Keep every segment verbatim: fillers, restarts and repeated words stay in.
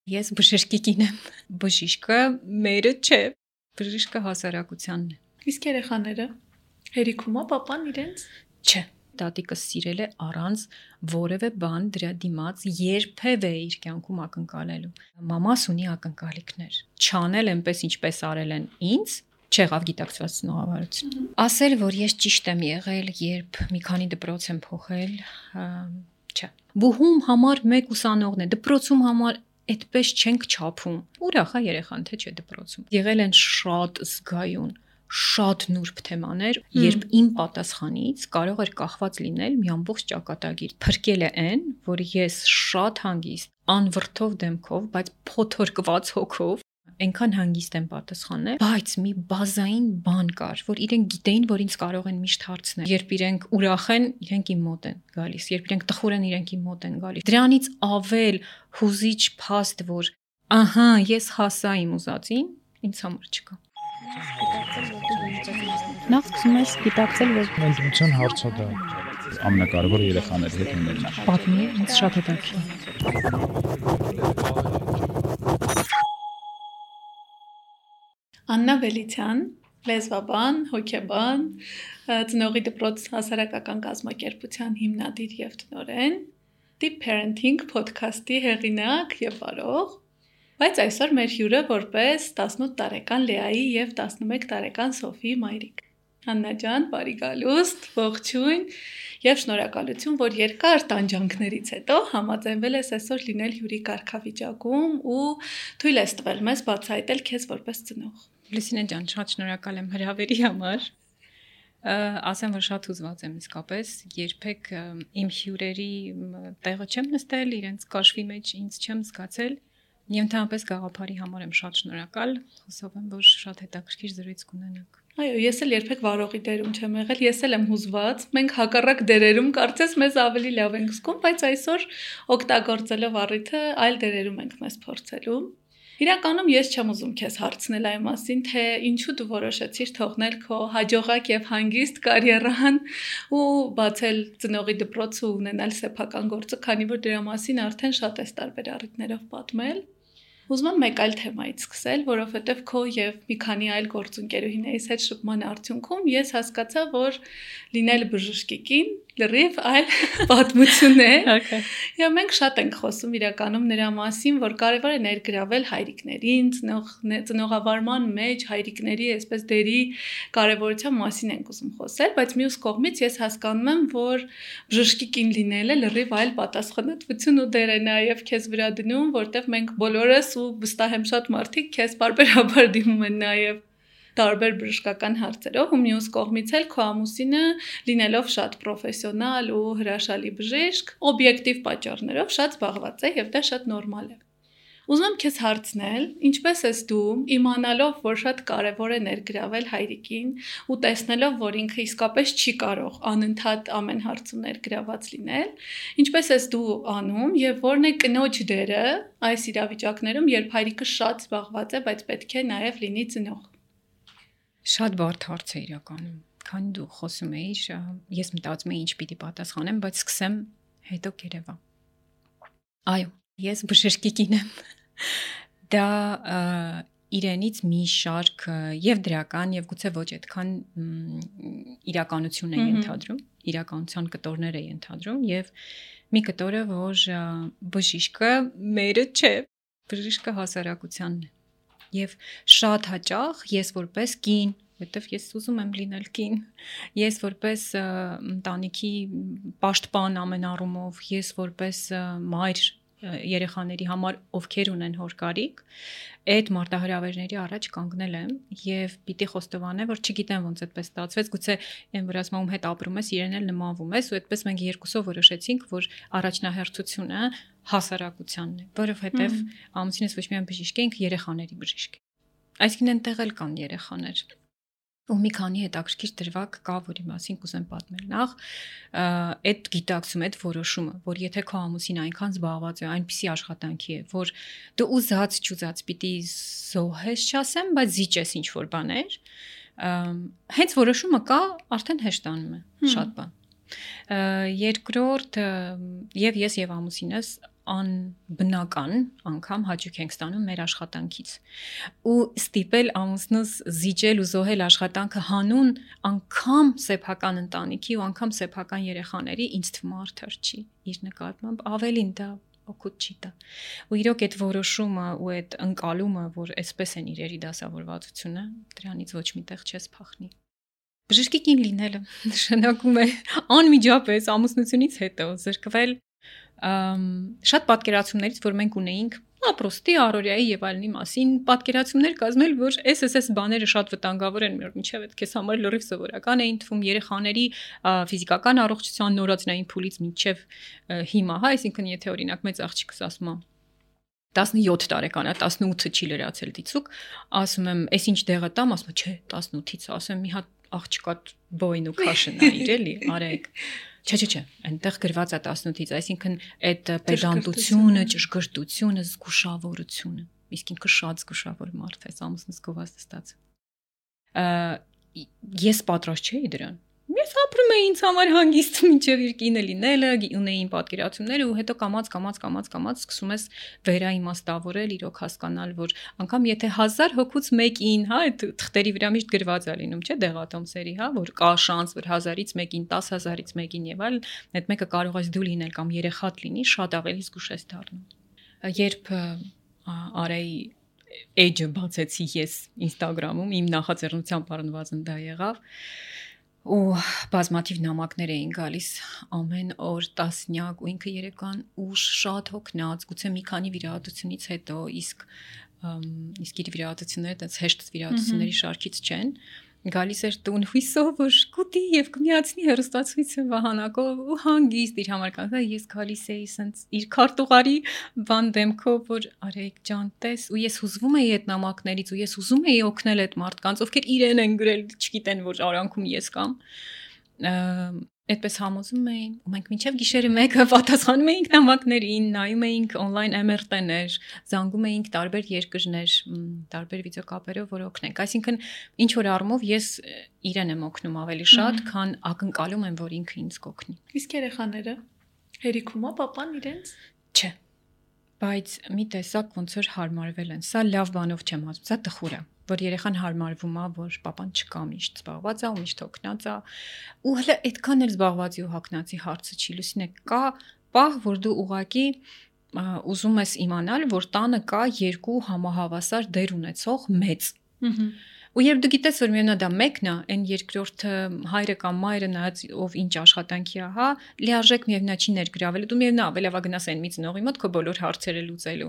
Ես բժշկի կին եմ։ Բժիշկը մերը չէ, բժիշկը հասարակությանն է։ Իսկ երեխաները հերիքում է papan իրենց։ Չէ, տատիկը սիրել է առանց որևէ բան դրա դիմաց երբևէ իր կյանքում ակնկալելու։ Մամաս ունի ակնկալիքներ։ Չանել այնպես ինչպես արել են ինձ, չեղավ գիտակցված ծնողավարություն։ Ասել, որ ես ճիշտ եմ եղել, երբ մի քանի դպրոց եմ փոխել, չէ։ Բուհում համար մեկ ուսանողն է, դպրոցում համար այդպես չենք չափում։ Ուրախ է երեխան, թե չէ դպրոցում։ Եղել են շատ զգայուն, շատ նուրբ թեմաներ, երբ իմ պատասխանից կարող էր կախված լինել մի ամբողջ ճակատագիր։ Փրկել է այն, որ ես շատ հանգիստ, անվրդով դեմքով, բայց փոթորկված հոգով այնքան հանգիստ եմ պատասխանել, բայց մի բազային բան կար, որ իրենք գիտեին, որ ինձ կարող են միշտ հարցնել։ Երբ իրենք ուրախ են, իրենք իմ մոտ են գալիս, երբ իրենք տխուր են, իրենք իմ մոտ են գալիս։ Դրանից ավել հուզիչ փաստ, որ ահա ես հասա իմ ուզածին, ինձ համար չկա։ Նախ սկսում ես գիտակցել, որ ընտրության հարցը դա ամենակարևորը երեխաների հետ ունենալն է։ Պատմի, ինձ շատ հետաքրքիր։ Աննա Վելիցյան, լեզվաբան, հոգեբան, ծնողի դպրոց հասարակական կազմակերպության հիմնադիր եւ տնօրեն, Deep Parenting podcast-ի հեղինակ եւ վարող, բայց այսօր մեր հյուրը որպես տասնութ տարեկան Լեայի եւ տասնմեկ տարեկան Սոֆիի մայրիկ։ Աննա ջան, բարի գալուստ, ողջույն եւ շնորհակալություն, որ երկար տանջանքներից հետո համաձայնվել ես այսօր լինել հյուրի կարգավիճակում ու թույլ ես տվել մեզ բացահայտել քեզ որպես ծնող։ Լուսինե ջան, շատ շնորհակալ եմ հրավերի համար։ Ասեմ, որ շատ հուզված եմ իսկապես, երբեք իմ հյուրերի տեղը չեմ նստել, իրենց կաշվի մեջ ինձ չեմ զգացել։ Եվ ընդհանրապես գաղափարի համար եմ շատ շնորհակալ, հուսով եմ, որ շատ հետաքրքիր զրույց կունենանք։ Այո, ես էլ երբեք վարողի դերում չեմ եղել, ես էլ եմ հուզված։ Մենք հակառակ դերերում կարծես մեզ ավելի լավ ենք զգում, բայց այսօր օգտագործելով առիթը այլ դերերում ենք մեզ փորձելու։ Իրականում ես չեմ ուզում քեզ հարցնել այն մասին, թե ինչու դու որոշեցիր թողնել քո հաջողակ եւ հանգիստ կարիերան ու բացել ծնողի դպրոցը ու ունենալ սեփական գործը, քանի որ դրա մասին արդեն շատ ես տարբեր առիթներով պատմել։ Ուզում եմ մեկ այլ թեմայից սկսել, որովհետև քո եւ մի քանի այլ գործընկերուհիներիս հետ շփման արդյունքում ես հասկացա, որ լինել բժշկի կին լրիվ այլ պատմություն է։ Եվ մենք շատ ենք խոսում իրականում նրա մասին, որ կարևոր է ներգրավել հայրիկներին, ծնողավարման մեջ հայրիկների այսպես դերի կարևորության մասին ենք ուզում խոսել, բայց մյուս կողմից ես հասկանում եմ, որ բժշկի կին լինելը լրիվ այլ պատասխանատվություն ու դեր է նաև քեզ վրա դնում, որտեղ մենք բոլորս ու վստահ եմ շատ մարդիկ քեզ բարբերաբար դիմում են նաև տարբեր բժշկական հարցերով ու մյուս կողմից էլ քո ամուսինը լինելով շատ պրոֆեսիոնալ ու հրաշալի բժիշկ, օբյեկտիվ պատճառներով շատ զբաղված է եւ դա շատ նորմալ է։ Ուզում եմ քեզ հարցնել, ինչպես ես դու իմանալով, որ շատ կարևոր է ներգրավել հայրիկին ու տեսնելով, որ ինքը իսկապես չի կարող անընդհատ ամեն հարցում ներգրաված լինել, ինչպես ես դու անում եւ որն է կնոջ դերը այս իրավիճակներում, երբ հայրիկը շատ զբաղված է, բայց պետք է նաեւ լինի ծնող։ Շատ բարդ հարց է իրականում, քանի դու խոսում էիր, ես մտածում էի ինչ պիտի պատասխանեմ, բայց սկսեմ, հետո կերևա։ Այո, ես բժշկի կին եմ։ Դա իրենից մի շարք եւ դրական եւ գուցե ոչ այդքան իրականություն է ենթադրում, իրականության կտորներ է ենթադրում եւ մի կտորը, որ բժիշկը մերը չէ, բժիշկը հասարակությանն է։ Եվ շատ հաճախ ես որպես կին, որտեվ ես ուզում եմ լինել կին, ես որպես ընտանիքի պաշտպան ամեն առումով, ես որպես մայր երեխաների համար, ովքեր ունեն հոր կարիք, այդ մարտահրավերների առաջ կանգնել եմ եւ պիտի խոստովանեմ, որ չգիտեմ ոնց այդպես ստացվեց, գուցե այն որ ասում հետ ապրում ես, իրեն էլ նմանվում ես ու այդպես մենք երկուսով որոշեցինք, որ առաջնահերթությունը հասարակությանն է, որովհետեւ ամուսինս ոչ միայն բժիշկ է, ինքը երեխաների բժիշկ է։ Այսինքն այնտեղ էլ կան երեխաներ։ Ու մի քանի հետաքրքիր դրվագ կա, որի մասին կուզեմ պատմել։ Նախ այդ գիտակցում, այդ որոշումը, որ եթե քո ամուսին այնքան զբաղված է, այնպիսի աշխատանքի է, որ դու ուզած չուզած պիտի զոհես, չասեմ, բայց զիջես ինչ որ բաներ, հենց որոշումը կա, արդեն հեշտանում է շատ բան։ Երկրորդ, եւ ես եւ ամուսինս անբնական անգամ հաճույք ենք ստանում մեր աշխատանքից ու ստիպել ամուսնուս զիջել ու զոհել աշխատանքը հանուն անգամ սեփական ընտանիքի ու անգամ սեփական երեխաների ինձ թվում է արդար չի իր նկատմամբ ավելին դա օգուտ չի տա ու իրոք այդ որոշումը ու այդ ընկալումը որ այսպես են իրերի դասավորվածությունը դրանից ոչ միտեղ չես փախնի բժշկի կին լինելը նշանակում է անմիջապես ամուսնությունից հետո զրկվել շատ պատկերացումներից, որ մենք ունեինք ապրոստի, առօրյայի եւ այլնի մասին, պատկերացումներ կազմել, որ էս էս էս բաները շատ վտանգավոր են, մինչեւ այդ քեզ համար լրիվ սովորական էին թվում երեխաների ֆիզիկական առողջության նորածնային փուլից մինչեւ հիմա, հա, այսինքն եթե օրինակ մեծ աղջիկս ասում է տասնյոթ տարեկան է, տասնութը չի լրացել դիցուկ, ասում եմ, «Էս ինչ դեղը տամ», ասում է, «Չէ, տասնութից», ասում եմ, «Մի հատ աղջկա բոյն ու քաշն է իր էլի, արեք»։ Չէ, չէ, չէ, այնտեղ գրված է տասնութից, այսինքն այդ պեդանտությունը, ճշգրտությունը, զգուշավորությունը, իսկ ինքը շատ զգուշավոր մարդ է, ամուսնուս գովազդ ստացել։ Ես պատրաստ չէի դրան։ Ես ապրում էի ինձ համար հանգիստ մինչև իր կինը լինելը, ունեին պատկերացումները ու հետո կամած կամած կամած կամած սկսում ես վերաիմաստավորել, իրոք հասկանալ, որ անգամ եթե հազար հոգուց մեկին, հա, այդ թղթերի վրա միշտ գրված է լինում, չէ՞, դեղատոմսերի, հա, որ կա շանս, որ հազարից մեկին, տասը հազարից մեկին եւ այլն, այդ մեկը կարող ես դու լինել կամ երեխատ լինի, շատ ավելի զգուշ ես դառնում։ Երբ Արեի էջը բացեցի ես Instagram-ում, իմ նախաձեռնությամբ առնվազն դա եղավ ու բազմաթիվ նամակներ էին գալիս ամեն օր տասնյակ ու ինքը երեկան ուշ շատ հոգնած գուցե մի քանի վիրահատությունից հետո իսկ իսկ իր վիրահատությունները այդպես հեշտ վիրահատությունների շարքից չեն գալիս էր տուն հույսով որ կուտի եւ կմիացնի հերոստացույցը վահանակով ու հանգիստ իր համար կանգնա ես գալիս էի սենց իր քարտուղարի բան դեմքով որ արեք ջան տես ու ես հուզվում էի այդ նամակներից ու ես ուզում էի օգնել այդ մարդկանց ովքեր իրեն են գրել չգիտեն որ արանքում ես կամ այդպես համոզում էին ու մենք մինչև գիշերը մեկը պատասխանում էինք նամակներին, նայում էինք on-line em er տեներ, զանգում էինք տարբեր երկրներ, տարբեր վիդեոկապերով, որ օգնենք։ Այսինքն ինչ որ առումով ես իրեն եմ օգնում ավելի շատ, քան ակնկալում եմ, որ ինքը ինձ կօգնի։ Իսկ երեխաները հերիքում է papan իրենց։ Չէ։ Բայց մի տեսակ ոնց որ հարմարվել են։ Սա լավ բանով չեմ ասում, սա տխուր է, որ երեխան հարմարվում է, որ papan չկա միշտ զբաղված է, ու միշտ հոգնած է։ Ու հələ այդքան էլ զբաղվածի ու հոգնածի հարցը չի լուսինե, կա պահ, որ դու ուղակի ուզում ես իմանալ, որ տանը կա երկու համահավասար դեր ունեցող մեծ։ Ու երբ դու գիտես, որ միանա դա մեկն է, այն երկրորդը հայրը կամ մայրը նայած ով ինչ աշխատանքի է, հա, լիարժեք միևնա չի ներգրավել, դու միևնա ավելավա գնաս այն մի ծնողի մոտ քո բոլոր հարցերը լուծելու։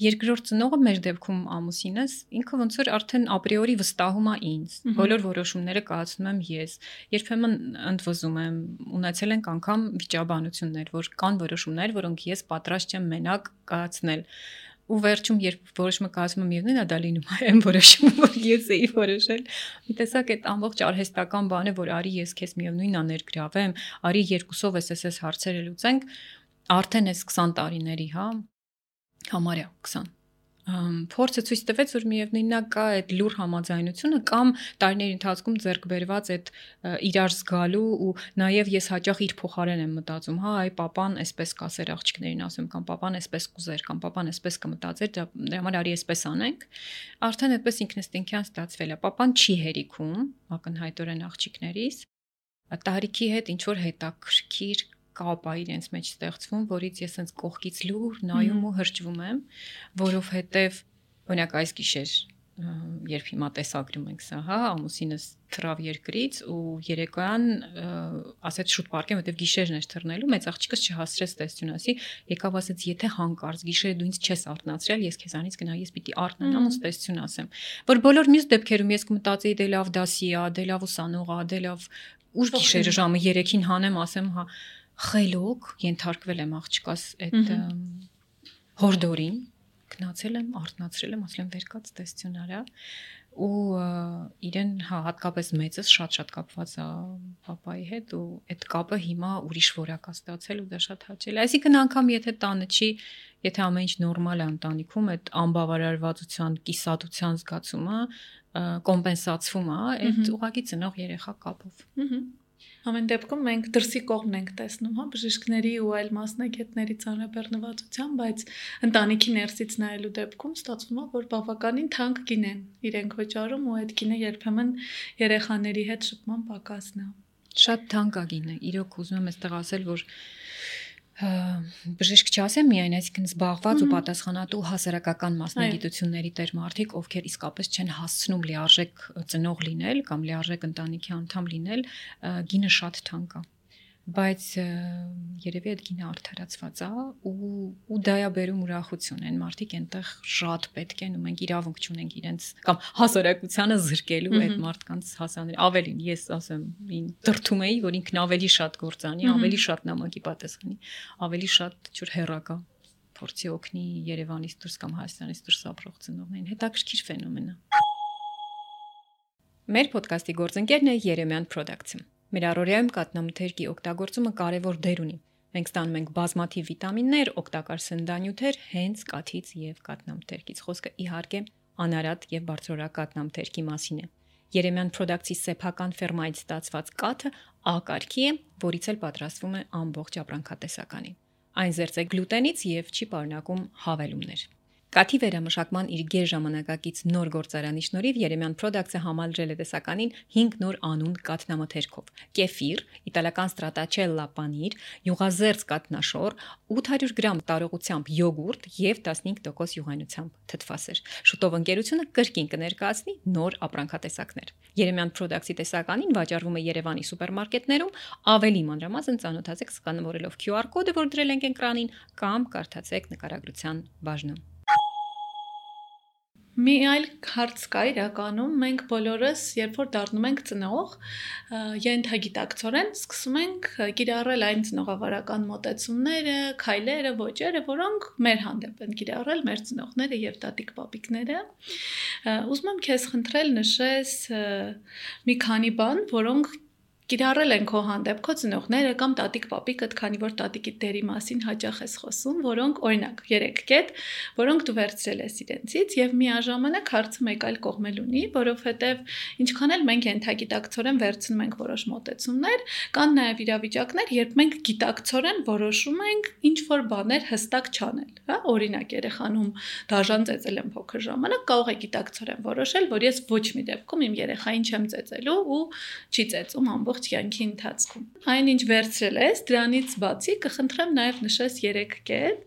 Երկրորդ ծնողը մեր դեպքում ամուսինս, ինքը ոնց որ արդեն ապրիորի վստահում է ինձ։ Բոլոր որոշումները կայացնում եմ ես։ Երբեմն ընդվզում եմ, ունեցել ենք անգամ վիճաբանություններ, որ կան որոշումներ, որոնք ես պատրաստ չեմ մենակ կայացնել։ Ու վերջում երբ որոշումը կայացում եմ միևնույն է դա լինում է այն որոշումը որ ես էի որոշել մի տեսակ այդ ամբողջ արհեստական բանը որ արի ես քեզ միևնույնն է ներգրավեմ արի երկուսով էս էս հարցերը լուծենք արդեն էս քսան տարիների հա համարյա քսան փորձը ցույց տվեց որ միևնույնն է կա այդ լուր համաձայնությունը կամ տարիների ընթացքում ձեռք բերված այդ իրար զգալու ու նաև ես հաճախ իր փոխարեն եմ մտածում հա այ papan այսպես կասեր աղջիկներին ասում կամ papan այսպես կուզեր կամ papan այսպես կմտածեր դրա համար արի այսպես անենք արդեն այդպես ինքնըստինքյան ստացվել է papan չի հերիքում ակնհայտորեն աղջիկներից տարիքի հետ ինչ որ հետաքրքիր կապ է իրենց մեջ ստեղծվում, որից ես հենց կողքից լուր նայում ու հրճվում եմ, որովհետև օրինակ այս գիշեր երբ հիմա տեսագրում ենք սա, հա, ամուսինս թռավ երկրից ու երեկոյան ասեց շուտ պարկեմ, որտեվ գիշերն էր թռնելու, մեծ աղջիկս չհասցրեց տեսություն ասի, եկավ ասեց, եթե հանկարծ գիշերը դու ինձ չես արթնացրել, ես քեզանից գնա, ես պիտի արթնանամ ու տեսություն ասեմ։ Որ բոլոր մյուս դեպքերում ես կմտածեի դե լավ դասի է, դե լավ ուսանող է, դե լավ ուշ գիշերը ժամը երեքին հանեմ, ասեմ, հա խելոք ենթարկվել եմ աղջկաս այդ հորդորին գնացել եմ արթնացրել եմ ասել եմ վեր կաց տեսություն արա ու իրեն հա հատկապես մեծս շատ-շատ կապված է papai հետ ու այդ կապը հիմա ուրիշ որակ է ստացել ու դա շատ հաճելի այսինքն անգամ եթե տանը չի եթե ամեն ինչ նորմալ է ընտանիքում այդ անբավարարվածության կիսատության զգացումը կոմպենսացվում է այդ ուղղակի ծնող երեխա կապով Ամեն դեպքում մենք դրսի կողմն ենք տեսնում, հա, բժիշկների ու այլ մասնագետների ծանրաբեռնվածության, բայց ընտանիքի ներսից նայելու դեպքում ստացվում է, որ բավականին թանկ գին են իրենք վճարում ու այդ գինը երբեմն երեխաների հետ շփման պակասն է։ Շատ թանկ է գինը։ Իրոք ուզում եմ այստեղ ասել, որ բժիշկ չասեմ միայն, այսինքն զբաղված ու պատասխանատու հասարակական մասնագիտությունների տեր մարդիկ, ովքեր իսկապես չեն հասցնում լիարժեք ծնող լինել կամ լիարժեք ընտանիքի անդամ լինել, գինը շատ թանկ է, բայց երևի այդ գինը արդարացված է ու ու դա է բերում ուրախություն, այն մարդիկ այնտեղ շատ պետք են ու մենք իրավունք չունենք իրենց կամ հասարակությանը զրկելու այդ մարդկանց հասանել, ավելին ես ասեմ, ին դրթում էի, որ ինքն ավելի շատ գործանի, ավելի շատ նամակի պատասխանի, ավելի շատ ջուր հերակա փորձի օգնի Երևանից դուրս կամ Հայաստանից դուրս ապրող ծնողներին, հետաքրքիր ֆենոմեն է։ Մեր ոդկասթի գործընկերն է Երեմյան Production։ Մեր առօրյայում կաթնամթերքի օգտագործումը կարևոր դեր ունի։ Մենք ստանում ենք բազմաթիվ վիտամիններ, օգտակար սննդանյութեր հենց կաթից եւ կաթնամթերքից։ Խոսքը իհարկե անարատ եւ բարձրորակ կաթնամթերքի մասին է։ Երեմյան Production-ի սեփական ֆերմայից ստացված կաթը A կարգի է, որից էլ պատրաստվում է ամբողջ ապրանքատեսականին։ Այն զերծ է գլուտենից եւ չի պարունակում հավելումներ։ Կաթի վերամշակման իր գերժամանակակից նոր գործարանի շնորհիվ Երեմյան Production-ը համալրել է տեսականին հինգ նոր անուն կաթնամթերքով՝ կեֆիր, իտալական ստրատաչելլա պանիր, յուղազերծ կաթնաշոր, ութ հարյուր գրամ տարողությամբ յոգուրտ եւ տասնհինգ տոկոս յուղայնությամբ թթվասեր։ Շուտով ընկերությունը կրկին կներկայացնի նոր ապրանքատեսակներ։ Երեմյան Production-ի տեսականին վաճառվում է Երևանի սուպերմարկետներում, ավելի մանրամասն ծանոթացեք սկանավորելով Q R կոդը, որ դրել ենք էկրանին, կամ կարդացեք նկարագրության բաժնում։ Մի այլ հարց կա իրականում, մենք բոլորս, երբ որ դառնում ենք ծնող, ենթագիտակցորեն սկսում ենք կիրառել այն ծնողավարական մոտեցումները, քայլերը, ոճերը, որոնք մեր հանդեպ են կիրառել մեր ծնողները եւ տատիկ-պապիկները։ Ուզում եմ քեզ խնդրել նշես մի քանի բան, որոնք կիրառել են քո հանդեպ քո ծնողները կամ տատիկ-պապիկդ, քանի որ տատիկի դերի մասին հաճախ ես խոսում, որոնք օրինակ երեք կետ, որոնք դու վերցրել ես իրենցից եւ միաժամանակ հարցը մեկ այլ կողմել ունի, որովհետեւ ինչքան էլ մենք ենթագիտակցորեն վերցնում ենք որոշ մոտեցումներ, կան նաեւ իրավիճակներ, երբ մենք գիտակցորեն որոշում ենք ինչ որ բաներ հստակ չանել, հա, օրինակ երեխանում դաժան ծեծել եմ փոքր ժամանակ, կարող է գիտակցորեն որոշել, որ ես ոչ մի դեպքում իմ երեխային չեմ ծեծելու ու չի ծեծում ամբողջ կյանքի ընթացքում։ Այն ինչ վերցրել ես, դրանից բացի կխնդրեմ նաև նշես երեք կետ,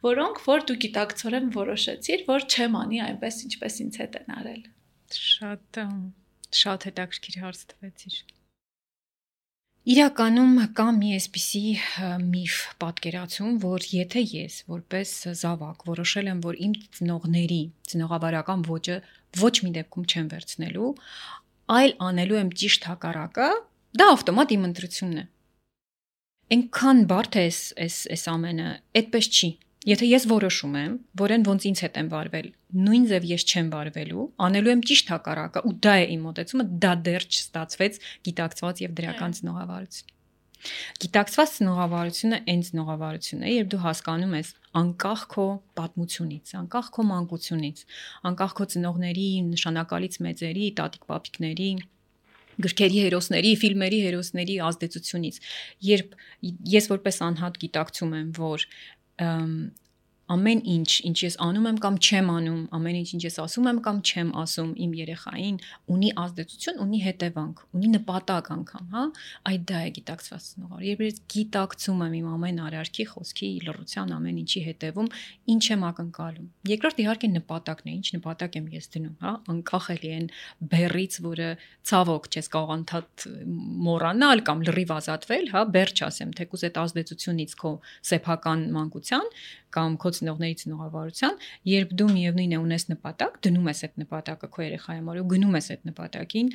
որոնք որ դու գիտակցորեն որոշեցիր, որ չեմ անի այնպես ինչպես ինձ հետ են արել։ Շատ շատ հետաքրքիր հարց տվեցիր։ Իրականում կա մի այսպիսի միֆ պատկերացում, որ եթե ես որպես զավակ որոշել եմ, որ իմ ծնողների ծնողավարական ոճը ոչ մի դեպքում չեմ վերցնելու, այլ անելու եմ ճիշտ հակառակը, դա ավտոմատ իմ ընտրությունն է։ Այնքան բարդ է այս այս ամենը, այդպես չի։ Եթե ես որոշում եմ, որ այն ոնց ինձ հետ եմ վարվել, նույն ձև ես չեմ վարվելու, անելու եմ ճիշտ հակառակը, ու դա է իմ մոտեցումը, դա դեռ չստացվեց գիտակցված եւ դրական ծնողավարություն։ Գիտակցված ծնողավարությունը այն ծնողավարությունն է, երբ դու հասկանում ես անկախ քո պատմությունից, անկախ քո մանկությունից, անկախ քո ծնողների նշանակալից մեծերի, տատիկ-պապիկների, գրքերի հերոսների, ֆիլմերի հերոսների ազդեցությունից, երբ ես որպես անհատ գիտակցում եմ, որ ամեն ինչ, ինչ ես անում եմ կամ չեմ անում, ամեն ինչ, ինչ ես ասում եմ կամ չեմ ասում իմ երեխային, ունի ազդեցություն, ունի հետևանք, ունի նպատակ անգամ, հա, այդ դա է գիտակցված ծնողավար։ Երբ ես գիտակցում եմ իմ ամեն արարքի, խոսքի, լռության ամեն ինչի հետևում, ինչ եմ ակնկալում։ Երկրորդ իհարկե նպատակն է, ինչ նպատակ եմ ես դնում, հա, անկախ էլի այն բեռից, որը ցավոք չես կարող անդադ մոռանալ կամ լրիվ ազատվել, հա, բեռ չասեմ, թեկուզ այդ ազդեցությունից քո սեփական մանկության կամ քո ծնողների ծնողավարության, երբ դու միևնույն է ունես նպատակ, դնում ես այդ նպատակը քո երեխայի համար ու գնում ես այդ նպատակին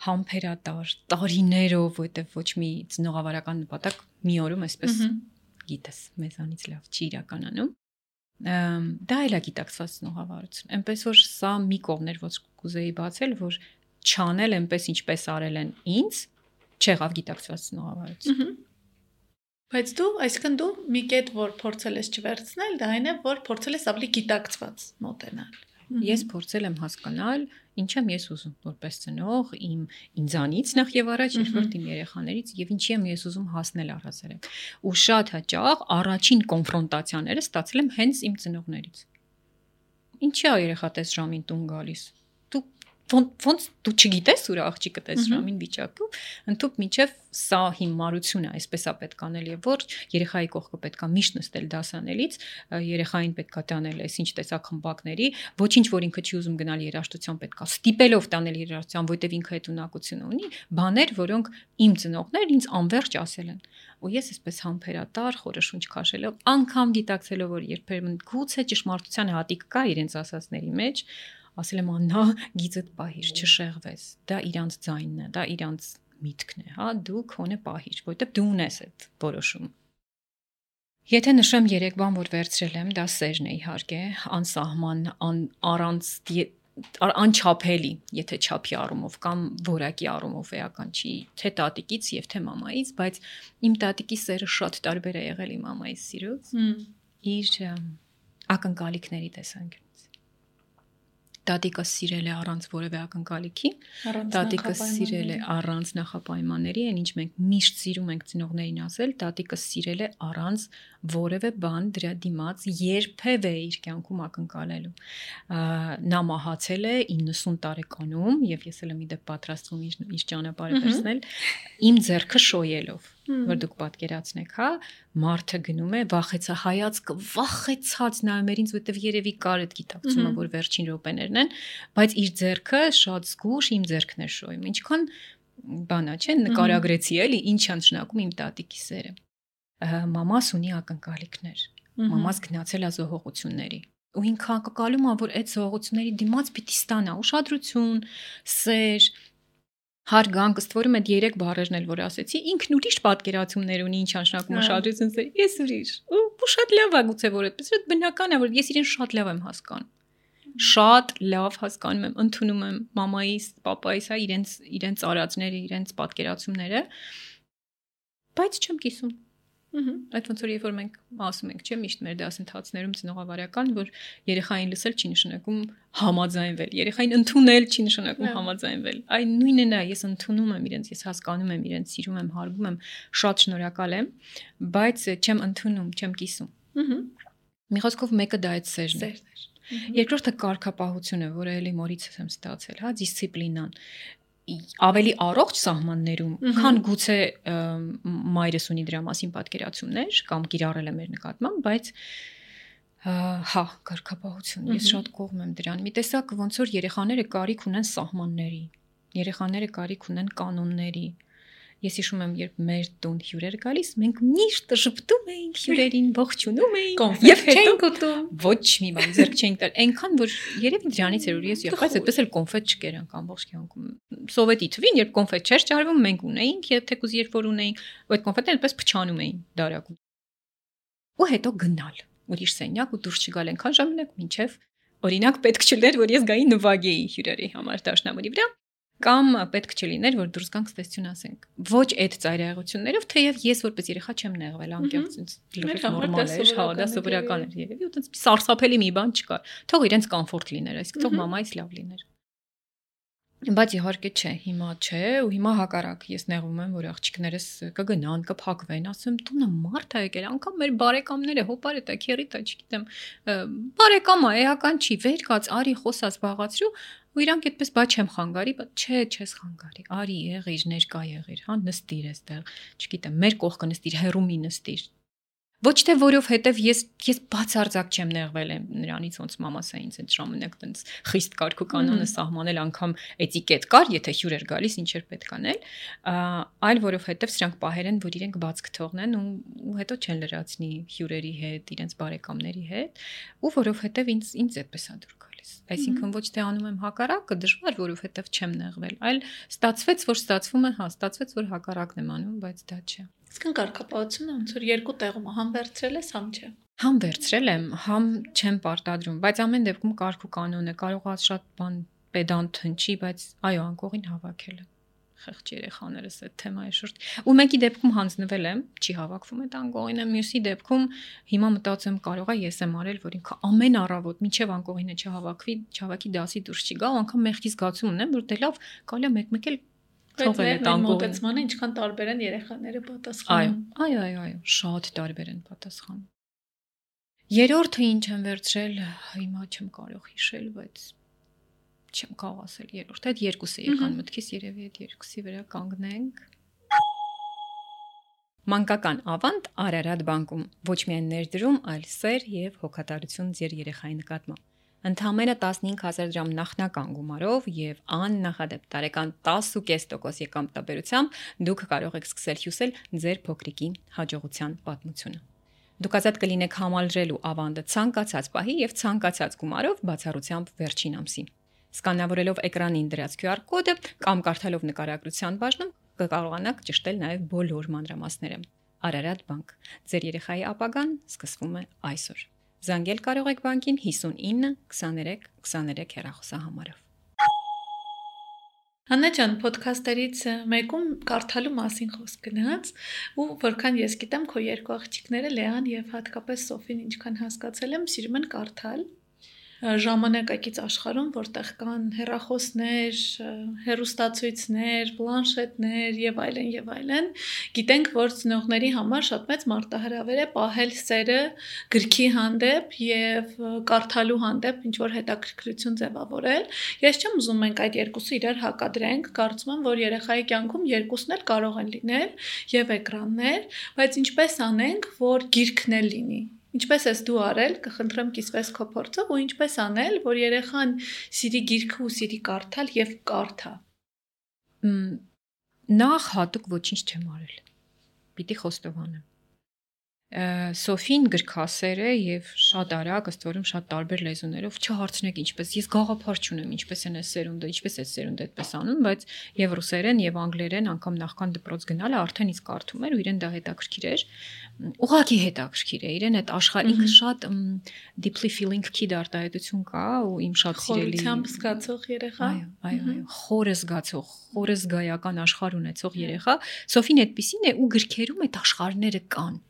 համբերատար, տարիներով, որտեվ ոչ մի ծնողավարական նպատակ մի օրում այսպես գիտես, մեզանից լավ չի իրականանում։ Դա էլ է գիտակցված ծնողավարություն։ Այնպես որ սա մի կողմն էր, որ կուզեի բացել, որ չանել այնպես ինչպես արել են ինձ, չեղավ գիտակցված ծնողավարություն։ Բայց դու, այսինքն դու մի կետ, որ փորձել ես չվերցնել, դա այն է, որ փորձել ես ավելի գիտակցված մոտենալ։ Ես փորձել եմ հասկանալ, ինչ եմ ես ուզում որպես ծնող, իմ ինձանից նախ եւ առաջ, երկրորդ իմ երեխաներից եւ ինչի եմ ես ուզում հասնել առհասարակ։ Ու շատ հաճախ առաջին կոնֆրոնտացիաները ստացել եմ հենց իմ ծնողներից։ Ինչի՞ է երեխատես ժամին տուն գալիս։ Դու ոնց դու չգիտես ուր աղջիկը տես ժամին վիճակում, ընդཐུպ միջև սա հիմարություն է, այսպես է պետք անել եւ որ երեխայի կողքը պետք է միշտ նստել դասանելից, երեխային պետք է տանել այս ինչ տեսակ խմբակների, ոչինչ որ ինքը չի ուզում գնալ երաժշտության պետք է ստիպելով տանել երաժշտության, որտեվ ինքը այդ ունակությունը ունի, բաներ, որոնք իմ ծնողներն ինձ անverջ ասել են։ Ու ես այսպես համբերատար, խորը շունչ քաշելով, անգամ գիտակցելով որ երբեմն գուցե ճշմարտության հատիկ կա իրենց ասածների մեջ, ասել եմ աննա գիծդ պահիր, չշեղվես, դա իրանց ձայնն է, դա իրանց միտքն է, հա, դու քոնը պահիր, որտեվ դու ունես այդ որոշումը։ Եթե նշեմ երեք բան, որ վերցրել եմ, դա սերն է իհարկե, անսահման, ան, առանց անչափելի, եթե չափի առումով կամ որակի առումով էական չի, թե տատիկից եւ թե մամայից, բայց իմ տատիկի սերը շատ տարբեր է եղել իմ մամայից սիրուց, իր ակնկալիքների տեսանկյունից։ Տատիկը սիրել է առանց որևէ ակնկալիքի, տատիկը սիրել է առանց նախապայմանների, այն ինչ մենք միշտ սիրում ենք ծնողներին ասել, տատիկը սիրել է առանց որևէ բան դրա դիմաց երբևէ իր կյանքում ակնկալելու։ Նա մահացել է իննսուն տարեկանում, եւ ես էլ եմ իդեպ պատրաստվում իր, իր ճանապարհը վերցնել, իմ ձեռքը շոյելով, որ դուք պատկերացնեք, հա, մարդը գնում է, վախեցա հայացքը, վախեցած նայում էր ինձ, որտեվ երևի կար այդ գիտակցումը, որ վերջին րոպեներն են, բայց իր ձեռքը շատ զգուշ իմ ձեռքն էր շոյում։ Ինչքան բանա, չէ՞, նկարագրեցի էլի, ինչ է նշանակում իմ տատիկի սերը։ Մամաս ունի ակնկալիքներ։ Մամաս գնացել է զոհողությունների։ Ու ինքը ակնկալում է, որ այդ զոհողությունների դիմաց պիտի ստանա ուշադրություն, սեր, հարգանք, ըստ որում այդ երեք բառերն էլ որ ասեցի, ինքն ուրիշ պատկերացումներ ունի, ինչ նշանակում ուշադրություն, սեր, ես ուրիշ։ Ու շատ լավ է գուցե որ այդպես, այդ բնական է, որ ես իրեն շատ լավ եմ հասկանում։ Շատ լավ հասկանում եմ, ընդունում եմ մամայիս, պապայիս, հա, իրենց իրենց արածները, իրենց պատկերացումները, բայց չեմ կիսում։ Այդ ոնց որ երբ որ մենք ասում ենք, չէ՞, միշտ մեր դասընթացներում ծնողավարական, որ երեխային լսել չի նշանակում համաձայնվել, երեխային ընդունել չի նշանակում համաձայնվել։ Այն նույնն է, ես ընդունում եմ իրենց, ես հասկանում եմ իրենց, սիրում եմ, հարգում եմ, շատ շնորհակալ եմ, բայց չեմ ընդունում, չեմ կիսում։ Մի խոսքով մեկը դա այդ սերն է։ Երկրորդը կարգապահությունը, որը էլի մորից եմ ստացել, հա, դիսցիպլինան, ավելի առողջ սահմաններում, քան գուցե մայրս ունի դրա մասին պատկերացումներ կամ կիրառել է մեր նկատմամբ, բայց հա, կարգապահություն, ես շատ կողմ եմ դրան։ Մի տեսակ ոնց որ երեխաները կարիք ունեն սահմանների, երեխաները կարիք ունեն կանոնների։ Ես հիշում եմ, երբ մեր տուն հյուրեր գալիս, մենք միշտ ժպտում էինք հյուրերին, ողջունում էինք եւ չենք ուտում։ Ոչ մի բան ձեռք չենք տալ, այնքան որ երևի դրանից էր որ ես եղբայրս այդպես էլ կոնֆետ չկերանք ամբողջ կյանքում։ Սովետի թվին, երբ կոնֆետ չէր ճարվում, մենք ունեինք, եւ թեկուզ երբ որ ունեինք, այդ կոնֆետները այդպես փչանում էին դարակում։ Ու հետո գնալ ուրիշ սենյակ ու դուրս չգալ այնքան ժամանակ, մինչեւ օրինակ պետք չլներ, որ ես գայի նվագեի հյուրերի համար դաշնամուրի վրա։ Կամ պետք չլիներ, որ դուրս գանք ստեսություն ասենք։ Ոչ այդ ծայրահեղություններով, թեև ես որպես երեխա չեմ նեղվել, անկեղծ ինձ լրիվ նորմալ էր, հա, դա սովորական էր երևի, ու տենց սարսափելի մի բան չկար։ Թող իրենց կոմֆորտ լիներ, այսինքն թող մամայից լավ լիներ։ Բայց իհարկե չէ, հիմա չէ, ու հիմա հակառակ ես նեղվում եմ, որ աղջիկներս կգնան, կփակվեն, ասեմ, տունը մարդ է եկել, անգամ մեր բարեկամները, հոպարետ է, քերիտ է, չգիտեմ, բարեկամ է, էական չի, վեր կաց, արի խոսած, զբաղացրու, ու իրանք այդպես բա չեմ խանգարի, բայց չէ, չես խանգարի, արի եղիր, ներկա եղիր, հա, նստիր այստեղ, չգիտեմ, մեր կողքը նստիր, հեռու մի նստիր։ Ոչ թե որովհետև ես ես բացարձակ չեմ նեղվել եմ նրանից, ոնց մամաս է ինձ այդ ժամանակ տենց խիստ կարգ ու կանոնը սահմանել, անգամ էտիկետ կար, եթե հյուր էր գալիս, ինչ էր պետք անել, այլ որովհետև սրանք պահեր են, որ իրենք բաց կթողնեն ու, ու հետո չեն լրացնի հյուրերի հետ, իրենց բարեկամների հետ, ու որովհետև ինձ ինձ այդպես է դուր գալիս։ Այսինքն ոչ թե անում եմ հակառակը, դժվար, որովհետև չեմ նեղվել, այլ ստացվեց, որ ստացվում է, հա, ստացվեց, որ հակառակն եմ անում, բայց դա չէ։ Իսկն կարգապահությունը ոնց որ երկու տեղում համ վերցրել ես, համ չէ։ Համ վերցրել եմ, համ չեմ պարտադրում, բայց ամեն դեպքում կարգ ու կանոն է, կարող է շատ բան պեդանտ հնչի, բայց այո, անկողին հավաքել եմ։ խեղճ երեխաներս այդ թեմայի շուրջ։ Ու մեկի դեպքում հանձնվել եմ, չի հավաքվում այդ անկողինը, մյուսի դեպքում հիմա մտածում կարող է ես եմ արել, որ ինքը ամեն առավոտ մինչև անկողինը չհավաքվի, չհավաքի դասի դուրս չի գա, ու անգամ մեղքի զգացում ունեմ, որ դե լավ, կարելի է մեկ-մեկ էլ թողել այդ անկողին։ Մոտեցմանը ինչքան տարբեր են երեխաները պատասխանում։ Այո, այո, այո, շատ տարբեր են պատասխանում։ Երրորդը ինչ եմ վերցրել, հիմա չեմ կարող հիշել, բայց չեմ կարող ասել երրորդ, այդ երկուսը եկան մտքիս, երևի այդ երկուսի վրա կանգնենք։ Մանկական ավանդ Արարատ բանկում ոչ միայն ներդրում, այլ սեր եւ հոգատարություն ձեր երեխայի նկատմամբ։ Ընդամենը տասնհինգ հազար դրամ նախնական գումարով եւ աննախադեպ տարեկան տասը փոխանակ կես տոկոս եկամտաբերությամբ դուք կարող եք սկսել հյուսել ձեր փոքրիկի հաջողության պատմությունը։ Դուք ազատ կլինեք համալրելու ավանդը ցանկացած պահի եւ ցանկացած գումարով բացառությամբ վերջին ամսին։ Սկանավորելով էկրանին դրած քյու ար կոդը կամ կարդալով նկարագրության բաժնում կկարողանաք ճշտել նաեւ բոլոր մանրամասները։ Արարատ բանկ։ Ձեր երեխայի ապագան սկսվում է այսօր։ Զանգել կարող եք բանկին հիսունինը քսաներեք քսաներեք հեռախոսահամարով։ Աննա ջան, ոդքասթերից մեկում կարդալու մասին խոսք գնաց, ու որքան ես գիտեմ, քո երկու աղջիկները Լեան եւ հատկապես Սոֆին ինչքան հասկացել եմ, սիրում են կարդալ ժամանակակից աշխարհում, որտեղ կան հեռախոսներ, հեռուստացույցներ, պլանշետներ եւ այլն եւ այլն, գիտենք, որ ծնողների համար շատ մեծ մարտահրավեր է պահել սերը գրքի հանդեպ եւ կարդալու հանդեպ ինչ որ հետաքրքրություն ձևավորել։ Ես չեմ ուզում մենք այդ երկուսը իրար հակադրենք, կարծում եմ, որ երեխայի կյանքում երկուսն էլ կարող են լինել եւ էկրաններ, բայց ինչպես անենք, որ գիրքն էլ լինի։ Ինչպես ես դու արել, կխնդրեմ կիսվես քո փորձով, ու ինչպես անել, որ երեխան սիրի գիրքը ու սիրի կարդալ եւ կարդա։ Նախ հատուկ ոչինչ չեմ արել։ Պիտի խոստովանեմ։ Սոֆին գրքասեր է եւ շատ արագ, ըստ որում շատ տարբեր լեզուներով չհարցնեք ինչպես։ Ես գաղափար չունեմ ինչպես են այս սերունդը, ինչպես է սերունդը այդպես անում, բայց եւ ռուսերեն եւ անգլերեն անգամ նախքան դպրոց գնալը արդեն իսկ կարդում էր ու իրեն դա հետաքրքիր էր։ Ուղղակի հետաքրքիր է իրեն այդ աշխարհ ինքը շատ deeply feeling kid արտահայտություն կա ու իմ շատ սիրելի խորությամբ զգացող երեխա։ Այո, այո, այո, խորը զգացող, խորը զգայական աշխարհ ունեցող երեխա։ Սոֆին այդպեսին է ու գրքերում այդ աշխարհները կան։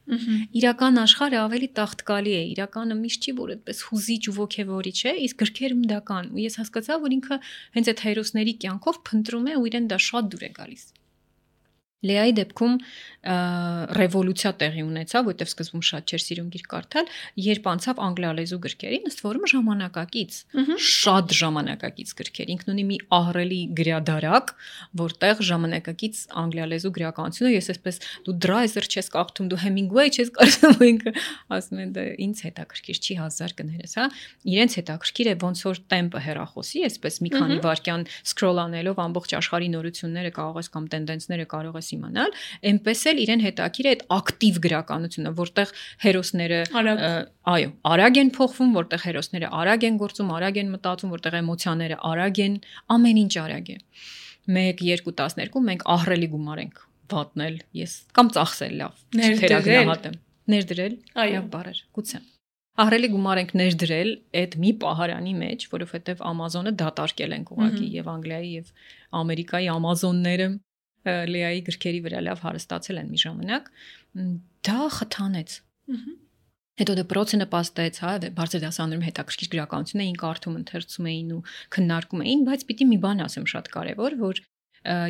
Իրական աշխարհը ավելի տաղտկալի է, իրականը միշտ չի որ այդպես հուզիչ ու ոգևորիչ է, իսկ գրքերում դա կան ու ես հասկացա, որ ինքը հենց այդ հերոսների կյանքով փնտրում է ու իրեն դա շատ դուր է գալիս։ Լեայի դեպքում ռևոլյուցիա տեղի ունեցավ, որտեղ սկզբում շատ չէր սիրում գիրք կարդալ, երբ անցավ անգլիալեզու գրքերին, ըստ որում ժամանակակից, շատ ժամանակակից գրքեր։ Ինքն ունի մի ահռելի գրադարակ, որտեղ ժամանակակից անգլիալեզու գրականությունը, ես այսպես դու Դրայզեր չես կարդում, դու Հեմինգվեյ չես կարդում, ինքը ասում են դա ինձ հետաքրքիր չի հազար կներես, հա։ Իրենց հետաքրքիր է ոնց որ տեմպը հեռախոսի, այսպես մի քանի վայրկյան սկրոլ անելով ամբողջ աշխարհի նորությունները կարող ես կամ տենդենսները կարող ես իմանալ, այնպես էլ իրեն հետաքրքիր է այդ ակտիվ գրականությունը, որտեղ հերոսները այո, արագ են փոխվում, որտեղ հերոսները արագ են գործում, արագ են մտածում, որտեղ էմոցիաները արագ են, ամեն ինչ արագ է։ մեկ, երկու, տասներկու մենք ահռելի գումար ենք վատնել, ես կամ ծախսել լավ, թերագնահատեմ, ներդրել, այո, բարեր, գուցե։ Ահռելի գումար ենք ներդրել այդ մի պահարանի մեջ, որովհետև Amazon-ը դատարկել են ուղղակի եւ Անգլիայի եւ Ամերիկայի Amazon-ները Լեայի գրքերի վրա լավ հարստացել են մի ժամանակ, դա խթանեց։ Հետո դպրոցը նպաստեց, հա, բարձր դասարանում հետաքրքիր գրականություն էին կարդում, ընթերցում էին ու քննարկում էին, բայց պիտի մի բան ասեմ շատ կարևոր, որ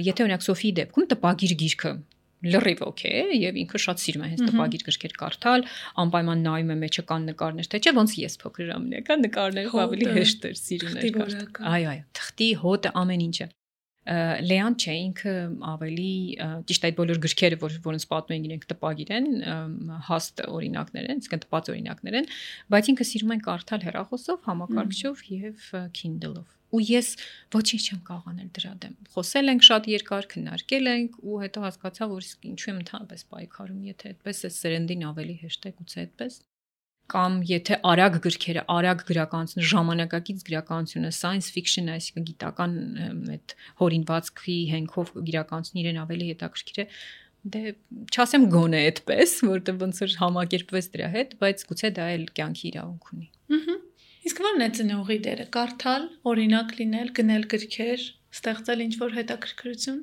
եթե օրինակ Սոֆիի դեպքում տպագիր գիրքը լրիվ օքեյ է եւ ինքը շատ սիրում է հենց տպագիր գրքեր կարդալ, անպայման նայում է մեջը կան նկարներ, թե չէ ոնց ես փոքր ժամանակ նկարները ավելի հեշտ էր սիրում էր կարդալ։ Այո, այո, թղթի հոտը ամեն ինչը։ Լեան չէ, ինքը ավելի ճիշտ այդ բոլոր գրքերը, որ որոնց պատմում են իրենք տպագիր են, հաստ օրինակներ են, այսինքն տպած օրինակներ են, բայց ինքը սիրում են կարդալ հեռախոսով, համակարգչով եւ Kindle-ով։ Ու ես ոչինչ չեմ կարող անել դրա դեմ։ Խոսել ենք շատ երկար, քննարկել ենք ու հետո հասկացա, որ ինչու եմ ընդհանրապես պայքարում, եթե այդպես է սերնդին ավելի հեշտ է, գուցե այդպես։ Կամ եթե արագ գրքերը, արագ գրականությունը, ժամանակակից գրականությունը, science fiction, այսինքն գիտական այդ հորինվածքի հենքով գրականությունը իրեն ավելի հետաքրքիր է, դե չասեմ գոնե այդպես, որտեղ ոնց որ համակերպվեց դրա հետ, բայց գուցե դա էլ կյանքի իրավունք ունի։ Ահա։ Իսկ ո՞րն է ծնողի դերը, կարդալ, օրինակ լինել, գնել գրքեր, ստեղծել ինչ-որ հետաքրքրություն։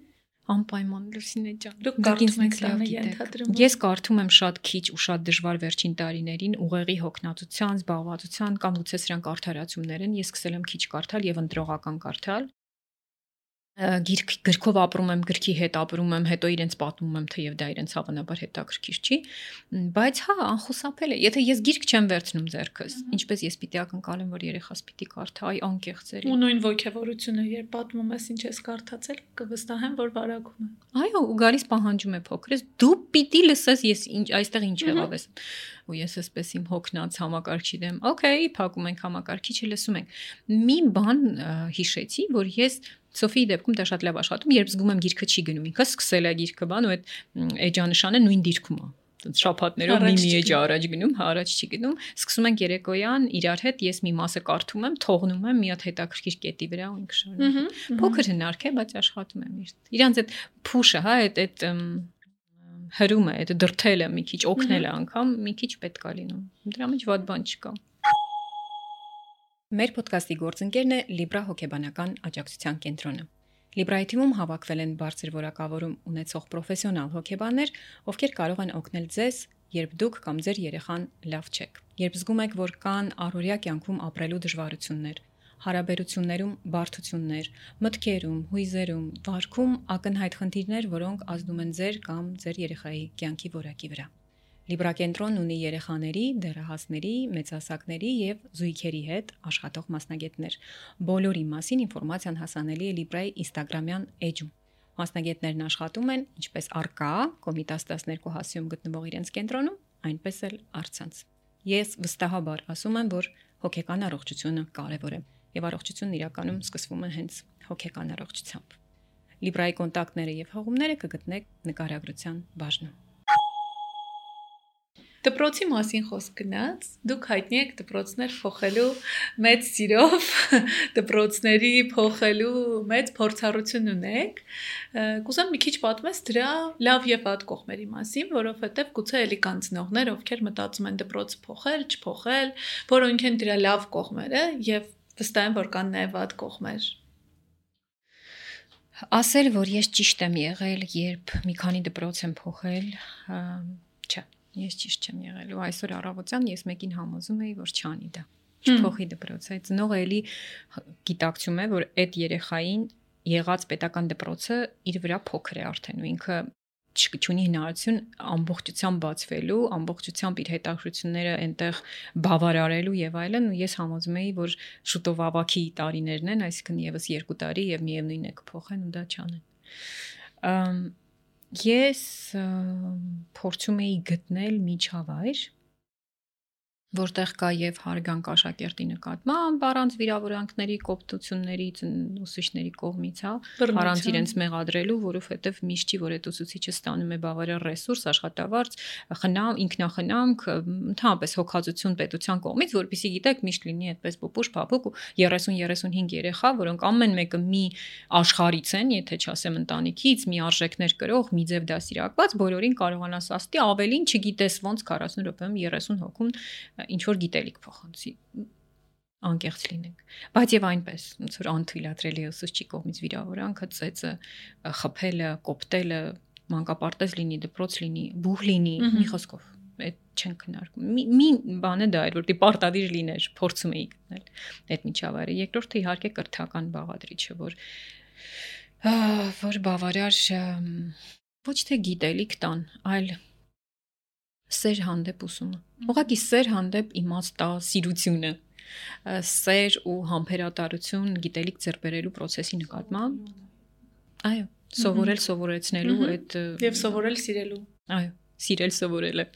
Անպայման Լուսինե ջան։ Դուք կարդում եք տանը ենթադրում։ Ես կարդում եմ շատ քիչ ու շատ դժվար վերջին տարիներին ուղեղի հոգնածության, զբաղվածության կամ գուցե սրանք արդարացումներ են։ Ես սկսել եմ քիչ կարդալ եւ ընտրողական կարդալ։ Գիրք գրքով ապրում եմ, գրքի հետ ապրում եմ, հետո իրենց պատմում եմ, թեև դա իրենց հավանաբար հետաքրքիր չի, բայց հա, անխուսափել է։ Եթե ես գիրք չեմ վերցնում ձեռքս, ինչպես ես պիտի ակնկալեմ, որ երեխաս պիտի կարդա, այ անկեղծ է։ Ու նույն ոգևորությունը, երբ պատմում ես ինչ ես կարդացել, կվստահեմ, որ վարակում է։ Այո, ու գալիս պահանջում է փոքրս, դու պիտի լսես ես ինչ այստեղ ինչ եղավ ես։ Ու ես էսպես իմ հոգնած համակարգչի դեմ, օքեյ, փակում ենք համակարգիչը, լսում ենք։ Մի բան հիշեցի, որ ես Սոֆիի դեպքում դա շատ լավ աշխատում, երբ զգում եմ գիրքը չի գնում, ինքը սկսել է գիրքը բան ու այդ էջանշանը նույն դիրքում է։ Շաբաթներով մի-մի էջ առաջ գնում, հա առաջ չի գնում, սկսում ենք երեկոյան իրար հետ ես մի մասը կարդում եմ, թողնում եմ մի հատ հետաքրքիր կետի վրա ու ինքը շարունակում։ Փոքր հնարք է, բայց աշխատում եմ իր։ Իրանց այդ փուշը, հա, այդ այդ հրումը, այդ դրթելը մի քիչ օգնելը անգամ մի քիչ պետք է լինում։ Դրա մեջ ված բան չկա։ Մեր ոդկասթի գործընկերն է Libra հոգեբանական աջակցության կենտրոնը։ Libra-ի թիմում հավաքվել են բարձր որակավորում ունեցող պրոֆեսիոնալ հոգեբաններ, ովքեր կարող են օգնել ձեզ, երբ դուք կամ ձեր երեխան լավ չեք։ Երբ զգում եք, որ կան առօրյա կյանքում ապրելու դժվարություններ, հարաբերություններում բարդություններ, մտքերում, հույզերում, վարքում ակնհայտ խնդիրներ, որոնք ազդում են ձեր կամ ձեր երեխայի կյանքի որակի վրա։ Libra կենտրոնն ունի երեխաների, դեռահասների, մեծահասակների եւ զույգերի հետ աշխատող մասնագետներ։ Բոլորի մասին ինֆորմացիան հասանելի է Libra-ի Instagram-յան էջում։ Մասնագետներն աշխատում են ինչպես առկա Կոմիտաս տասներկու հասիում գտնվող իրենց կենտրոնում, այնպես էլ առցանց։ Ես վստահաբար ասում եմ, որ հոգեկան առողջությունը կարևոր է եւ առողջությունն իրականում սկսվում է հենց հոգեկան առողջությամբ։ Libra-ի կոնտակտները եւ հղումները կգտնեք նկարագրության բաժնում։ Դպրոցի մասին խոսք գնաց, դուք հայտնի եք դպրոցներ փոխելու մեծ սիրով, դպրոցների փոխելու մեծ փորձառություն ունեք։ Կուզեմ մի քիչ պատմես դրա լավ եւ վատ կողմերի մասին, որովհետեւ գուցե էլի կան ծնողներ, ովքեր մտածում են դպրոցը փոխել, չփոխել, որոնք են դրա լավ կողմերը եւ վստահ եմ, որ կան նաեւ վատ կողմեր։ Ասել, որ ես ճիշտ եմ եղել, երբ մի քանի դպրոց եմ փոխել, չէ։ Ես ճիշտ չեմ եղել ու այսօր առավոտյան ես մեկին համոզում էի, որ չանի դա։ Չփոխի դպրոցը։ Ծնողը էլի գիտակցում է, որ այդ երեխային եղած պետական դպրոցը իր վրա փոքր է արդեն ու ինքը չունի հնարավորություն ամբողջությամբ բացվելու, ամբողջությամբ իր հետաքրությունները այնտեղ բավարարելու եւ այլն ու ես համոզում էի, որ շուտով ավակի տարիներն են, այսինքն եւս երկու տարի եւ միևնույն է կփոխեն ու դա չանեն։ Ես փորձում էի գտնել միջավայր, որտեղ կա եւ հարգանք աշակերտի նկատմամբ, առանց վիրավորանքների, կոպտությունների, ուսուցիչների կողմից, հա, առանց իրենց մեղադրելու, որովհետեւ միշտ չի որ այդ ուսուցիչը ստանում է բավարար ռեսուրս, աշխատավարձ, խնամ, ինքնախնամք, ընդհանրապես հոգացություն պետության կողմից, որպեսզի գիտեք միշտ լինի այդպես պուպուշ, փափուկ ու երեսուն երեսունհինգ երեխա, որոնք ամեն մեկը մի աշխարհից են, եթե չասեմ ընտանիքից, մի արժեքներ կրող, մի ձև դասիրակված, բոլորին կարողանաս աստի, ավելին չգիտես ոնց քառասուն րոպեում երեսուն հոգուն ինչ որ գիտելիք փոխանցի անկեղծ լինենք բայց եւ այնպես ոնց որ անթույլատրելի է ուսուցչի կողմից վիրավորանքը ծեծը խփելը կոպտելը մանկապարտեզ լինի դպրոց լինի բուհ լինի մի խոսքով այդ չեն քննարկում մի բանը դա էր որ դի պարտադիր լիներ փորձում էի գտնել այդ միջավայրը երկրորդը իհարկե կրթական բաղադրիչը որ որ բավարար ոչ թե գիտելիք տան այլ սեր հանդեպ ուսումը։ Ուղղակի սեր հանդեպ իմաստասիրությունը, սեր ու համբերատարություն գիտելիք ձեռք բերելու process-ի նկատմամբ։ Այո, սովորել սովորեցնելու այդ եւ սովորել սիրելու։ Այո, սիրել սովորելը։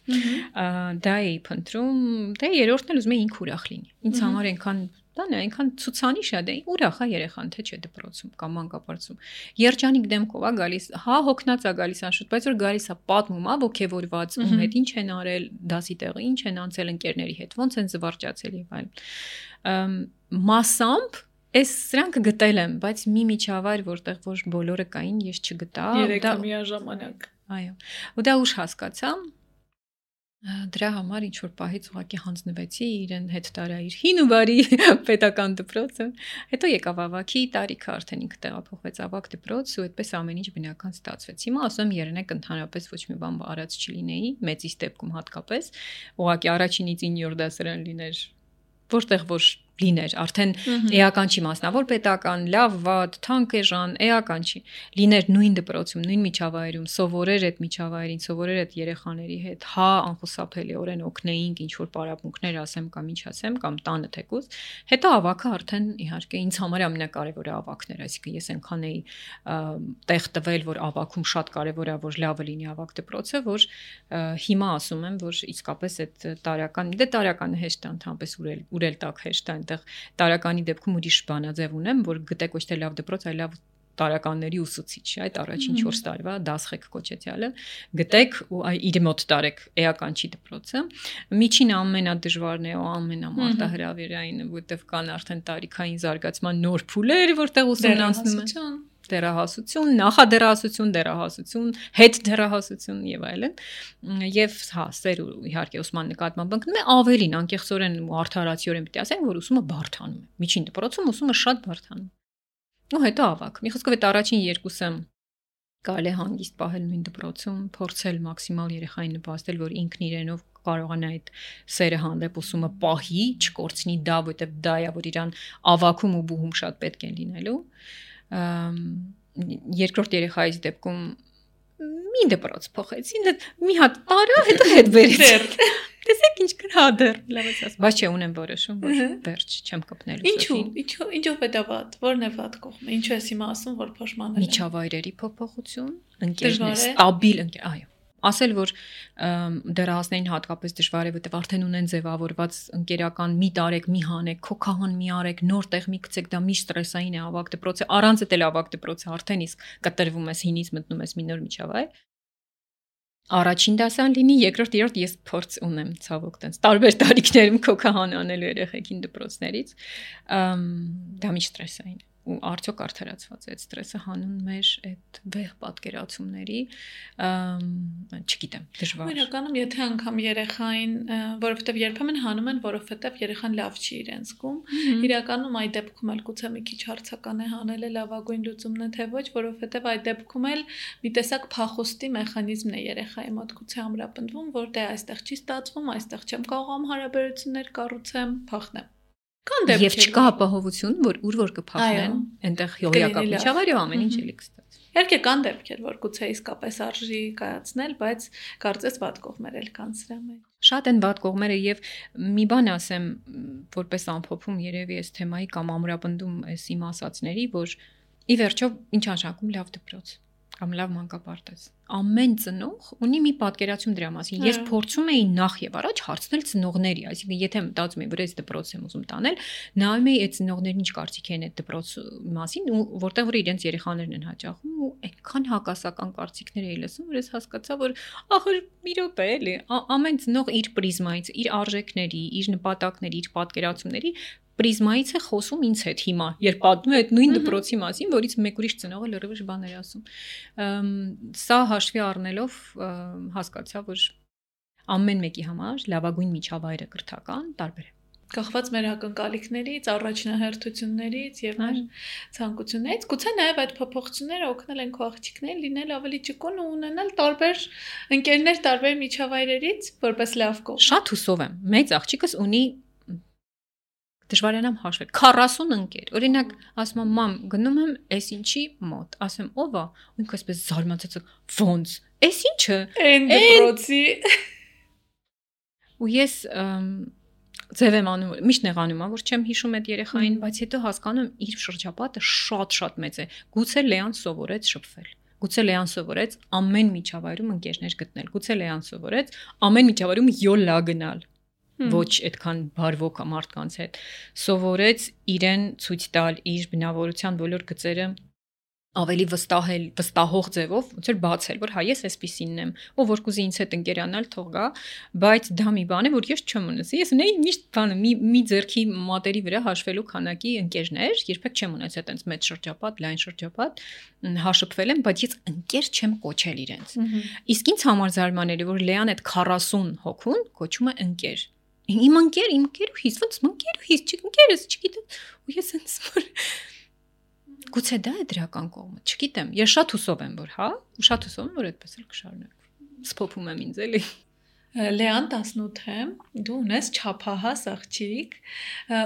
Դա էի փնտրում, դե երրորդն էլ ուզում էի ինք ուրախ լինի։ Ինձ համար այնքան դա նա այնքան ցուցանիշ է, դե ուրախ է երեխան, թե չէ դպրոցում կամ մանկապարտեզում։ Երջանիկ դեմքով է գալիս, հա հոգնած է գալիս անշուտ, բայց որ գալիս է պատմում, ա ոգևորված, ում հետ ինչ են արել, դասի տեղը ինչ են անցել ընկերների հետ, ոնց են զվարճացել եւ այլն։ Մասամբ Ես սրանք գտել եմ, բայց մի միջավայր, որտեղ որ բոլորը կային, ես չգտա։ Երեքը միաժամանակ։ Այո։ Ու դա ուշ հասկացա, Դրա համար ինչ որ պահից ուղղակի հանձնվեցի իրեն հետ տարա իր հին ու բարի պետական դպրոցը, հետո եկավ ավագի տարիքը, արդեն ինքը տեղափոխվեց ավագ դպրոց ու այդպես ամեն ինչ բնական ստացվեց։ Հիմա ասում երնեք ընդհանրապես ոչ մի բան արած չլինեի, մեծից դեպքում հատկապես, ուղղակի առաջինից ինը դասարան լիներ, որտեղ որ լիներ, արդեն էական չի մասնավոր պետական, լավ, վատ, թանկ էժան, էական չի։ Լիներ նույն դպրոցում, նույն միջավայրում, սովորեր այդ միջավայրին, սովորեր այդ երեխաների հետ, հա անխուսափելիորեն օգնեինք ինչ որ պարապմունքներ ասեմ կամ ինչ ասեմ, կամ տանը թեկուզ, հետո ավակը արդեն իհարկե ինձ համար ամենակարևորը ավակն էր, այսինքն ես այնքան էի տեղ տվել, որ ավակում շատ կարևոր է, որ լավը լինի ավակ դպրոցը, որ հիմա ասում եմ, որ իսկապես այդ տարական, դե տարականը հեշտ է ընդհանրապես ուրել, ուրել տակ հեշտ է տարականի դեպքում ուրիշ բանաձև ունեմ, որ գտեք ոչ թե լավ դպրոց, այլ լավ տարականների ուսուցիչ, այդ առաջին չորս տարվա դասխեք կոչեցյալը, գտեք ու իր մոտ տարեք էական չի դպրոցը։ Միջին ամենադժվարն է ու ամենամարտահրավերային, որտեղ կան արդեն տարիքային զարգացման նոր փուլեր, որտեղ ուսումնասնում են դերահասություն, նախադերահասություն, դերահասություն, հետ դերահասություն եւ այլն։ Եվ հա, սեր իհարկե ուսման նկատմամբ ընկնում է ավելին անկեղծորեն ու արդարացիորեն պիտի ասենք, որ ուսումը բարդանում է։ Միջին դպրոցում ուսումը շատ բարդանում։ Ու հետո ավակ։ Մի խոսքով այդ առաջին երկուսը կարելի է հանգիստ պահել նույն դպրոցում, փորձել մաքսիմալ երեխային նպաստել, որ ինքն իրենով կարողանա այդ սերը հանդեպ ուսումը պահի, չկորցնի դա, որտեղ դա է, որ իրան ավակում ու բուհում շատ պետք է լինելու։ Երկրորդ երեխայից դեպքում մի դպրոց փոխեցին, մի հատ տարա, հետո հետ վերեց։ Տեսեք ինչ գրադեր, լավ է ասած։ Բայց չէ, ունեմ որոշում, որ վերջ չեմ կպնելու։ Ինչու՞, ինչու, ինչով է դա վատ, որն է վատ կողմը։ Ինչու ես հիմա ասում, որ փոշմանել է։ Միջավայրերի փոփոխություն, ընկերներ, ստաբիլ ընկեր, այո։ Ասել, որ դեռահասներին հատկապես դժվար է, որտեղ արդեն ունեն ձևավորված ընկերական մի տարեք, մի հանեք, քոքահան մի արեք, նոր տեղ մի գցեք, դա մի ստրեսային է ավակ դպրոցը, առանց էլ ավակ դպրոցը արդեն իսկ կտրվում ես հինից մտնում ես մի նոր միջավայր։ Առաջին դասան լինի, երկրորդ, երրորդ ես փորձ ունեմ ցավոք տենց տարբեր տարիքներում քոքահան անելու երեխեքին դպրոցներից, դա մի ստրեսային է։ Ու արդյոք արդարացված է այդ ստրեսը հանուն մեր այդ վեհ պատկերացումների, չգիտեմ, դժվար։ Իրականում եթե անգամ երեխային, որովհետև երբեմն հանում են, որովհետև երեխան լավ չի իրեն զգում, իրականում այդ դեպքում էլ գուցե մի քիչ հարցական է հանելը լավագույն լուծումն է, թե ոչ, որովհետև այդ դեպքում էլ մի տեսակ փախուստի մեխանիզմն է երեխայի մոտ գուցե ամրապնդվում, որ դե այստեղ չի ստացվում, այստեղ չեմ կարողam հարաբերություններ կառուցեմ, փախնեմ։ Եվ չկա ապահովություն, որ ուր որ կփախնեն, այնտեղ հյուրիական միջավայրը ամեն ինչ էլի կստացվի։ Իհարկե կան դեպքեր, որ գուցե իսկապես արժի կայացնել, բայց կարծես վատ կողմեր էլ կան սրա մեջ։ Շատ են վատ կողմերը եւ մի բան ասեմ, որպես ամփոփում երևի այս թեմայի կամ ամրապնդում այս իմ ասածների, որ ի վերջո ինչ անշանակում լավ դպրոց կամ լավ մանկապարտեզ։ Ամեն ծնող ունի մի պատկերացում դրա մասին։ Ես փորձում էի նախ եւ առաջ հարցնել ծնողների, այսինքն եթե մտածում եմ, որ այս դպրոց եմ ուզում տանել, նայում էի այդ ծնողներն ինչ կարծիք են այդ դպրոց մասին ու որտեղ որ իրենց երեխաներն են հաճախում ու այնքան հակասական կարծիքներ էի լսում, որ ես հասկացա, որ ախր մի րոպե էլի, ամեն ծնող իր պրիզմայից, իր արժեքների, իր նպատակների, իր պատկերացումների պրիզմայից է խոսում ինձ հետ հիմա, երբ պատմում է այդ նույն դպրոցի մասին, որից մեկ ուրիշ ծնողը լրիվ բաներ ասում։ Սա հաշվի առնելով հասկացա, որ ամեն մեկի համար լավագույն միջավայրը կրթական տարբեր է։ Կախված մեր ակնկալիքներից, առաջնահերթություններից եւ մեր ցանկություններից, գուցե նաեւ այդ փոփոխությունները օգնել են քո աղջիկներին լինել ավելի ճկուն ու ունենալ տարբեր ընկերներ, տարբեր միջավայրերից, որպես լավ կողմ։ Շատ հուսով եմ։ Մեծ աղջիկս ունի դժվարանամ հաշվել քառասուն ընկեր։ Օրինակ, ասում եմ, մամ, գնում եմ էս ինչի մոտ։ Ասում եմ, ով է։ Ու ինքը այսպես զարմացած ոնց։ Էս ինչը։ Էն դպրոցի։ Ու ես ձև եմ անում, միշտ նեղանում եմ, որ չեմ հիշում այդ երեխային, բայց հետո հասկանում եմ իր շրջապատը շատ-շատ մեծ է։ Գուցե Լեան սովորեց շփվել։ Գուցե Լեան սովորեց ամեն միջավայրում ընկերներ գտնել։ Գուցե Լեան սովորեց ամեն միջավայրում յոլա գնալ։ Ոչ այդքան բարվոք մարդկանց հետ։ Սովորեց իրեն ցույց տալ իր բնավորության բոլոր գծերը ավելի վստահել, վստահող ձևով, ոնց որ բացել, որ հա ես էսպիսինն եմ, ով որ կուզի ինձ հետ ընկերանալ, թող գա, բայց դա մի բան է, որ ես չեմ ունեցել։ Ես ունեի միշտ բանը, մի մի ձեռքի մատերի վրա հաշվելու քանակի ընկերներ, երբեք չեմ ունեցել այտենց մեծ շրջապատ, լայն շրջապատ, հաշվվել եմ, բայց ես ընկեր չեմ կոչել իրենց։ Իսկ ինձ համար զարմանալի, որ Լեան այդ քառասուն հոգուն կոչում է ընկեր։ Իմ ընկեր, իմ ընկերուհիս, ոնց ընկերուհիս, չընկերս, չգիտեմ, ու ես ինձ որ գուցե դա է դրական կողմը, չգիտեմ, ես շատ հուսով եմ, որ հա, ու շատ հուսով եմ, որ այդպես էլ կշարունակվի։ Սփոփում եմ ինձ էլի։ Լեան տասնութ է, դու ունես չափահաս աղջիկ,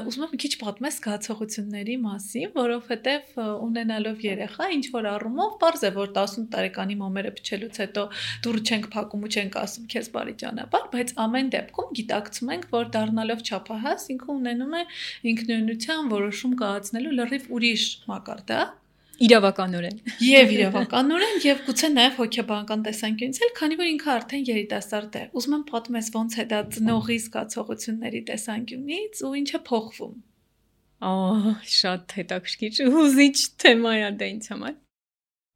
ուզում եմ մի քիչ պատմես զգացողությունների մասին, որովհետև ունենալով երեխա, ինչ որ առումով պարզ է, որ տասնութ տարեկանի մոմերը փչելուց հետո դուռ չենք փակում ու չենք ասում քեզ բարի ճանապարհ, բայց ամեն դեպքում գիտակցում ենք, որ դառնալով չափահաս ինքը ունենում է ինքնուրույնության որոշում կայացնելու լրիվ ուրիշ մակարդակ։ Իրավականորեն Եվ իրավականորեն եւ գուցե նաեւ հոգեբանական տեսանկյունից էլ, քանի որ ինքը արդեն երիտասարդ է։ Ուզում եմ պատմես ոնց է դա ծնողի զգացողությունների տեսանկյունից ու ինչ է փոխվում։ Ահա, շատ հետաքրքիր ու հուզիչ թեմա է դա ինձ համար։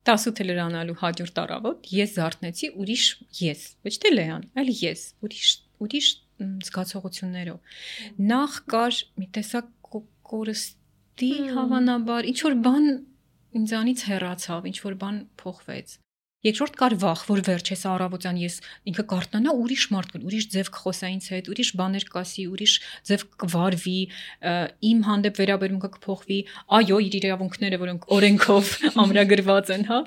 տասնութը լրանալու հաջորդ առավոտ ես զարթնեցի ուրիշ ես, ոչ թե Լեան, այլ ես, ուրիշ ուրիշ զգացողություններով։ Նախ կար մի տեսակ կորստի հավանաբար, ինչ որ բան ինձանից հեռացավ, ինչ որ բան փոխվեց։ Երկրորդ կար վախ, որ վերջես առավոտյան ես ինքը կարտնանա ուրիշ մարդ կլ, ուրիշ ձև կխոսա ինձ հետ, ուրիշ բաներ կասի, ուրիշ ձև կվարվի, իմ հանդեպ վերաբերմունքը կփոխվի, այո, իր իրավունքները, որոնք օրենքով ամրագրված են, հա,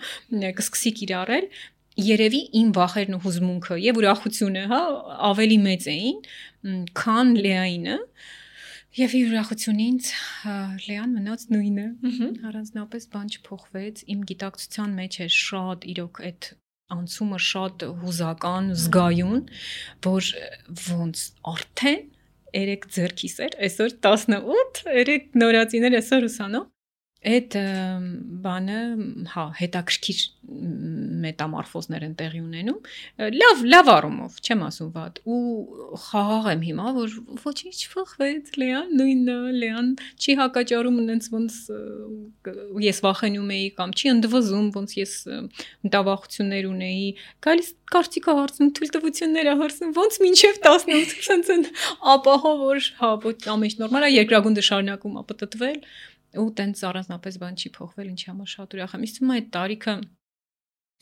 կսկսի կիրառել։ Երևի իմ վախերն ու հուզմունքը եւ ուրախությունը, հա, ավելի մեծ էին, քան Լեայինը։ Եվ իր ուրախությունից Լեան մնաց նույնը, առանձնապես բան չփոխվեց, իմ գիտակցության մեջ է շատ իրոք այդ անցումը շատ հուզական, զգայուն, որ ոնց արդեն երեք ձեռքիս էր, այսօր տասնութ, երեք նորածիներ այսօր ուսանող, այդ բանը, հա, հետաքրքիր մետամորֆոզներ են տեղի ունենում, լավ, լավ առումով, չեմ ասում վատ, ու խաղաղ եմ հիմա, որ ոչինչ չփոխվեց, Լեան նույնն է, Լեան չի հակաճառում ինձ ոնց ես վախենում էի կամ չի ընդվզում, ոնց ես մտավախություններ ունեի, գալիս կարծիքա հարցնում, թույլտվություններ հարցնում, ոնց մինչև տասնութ, ցենց են ապահով որ հա, ոչ ամեն ինչ նորմալ է, երկրագունդը շարունակում ապտտվել ու տենց առանձնապես բան չի փոխվել, ինչի համար շատ ուրախ եմ։ Իսկ թվում է այդ տարիքը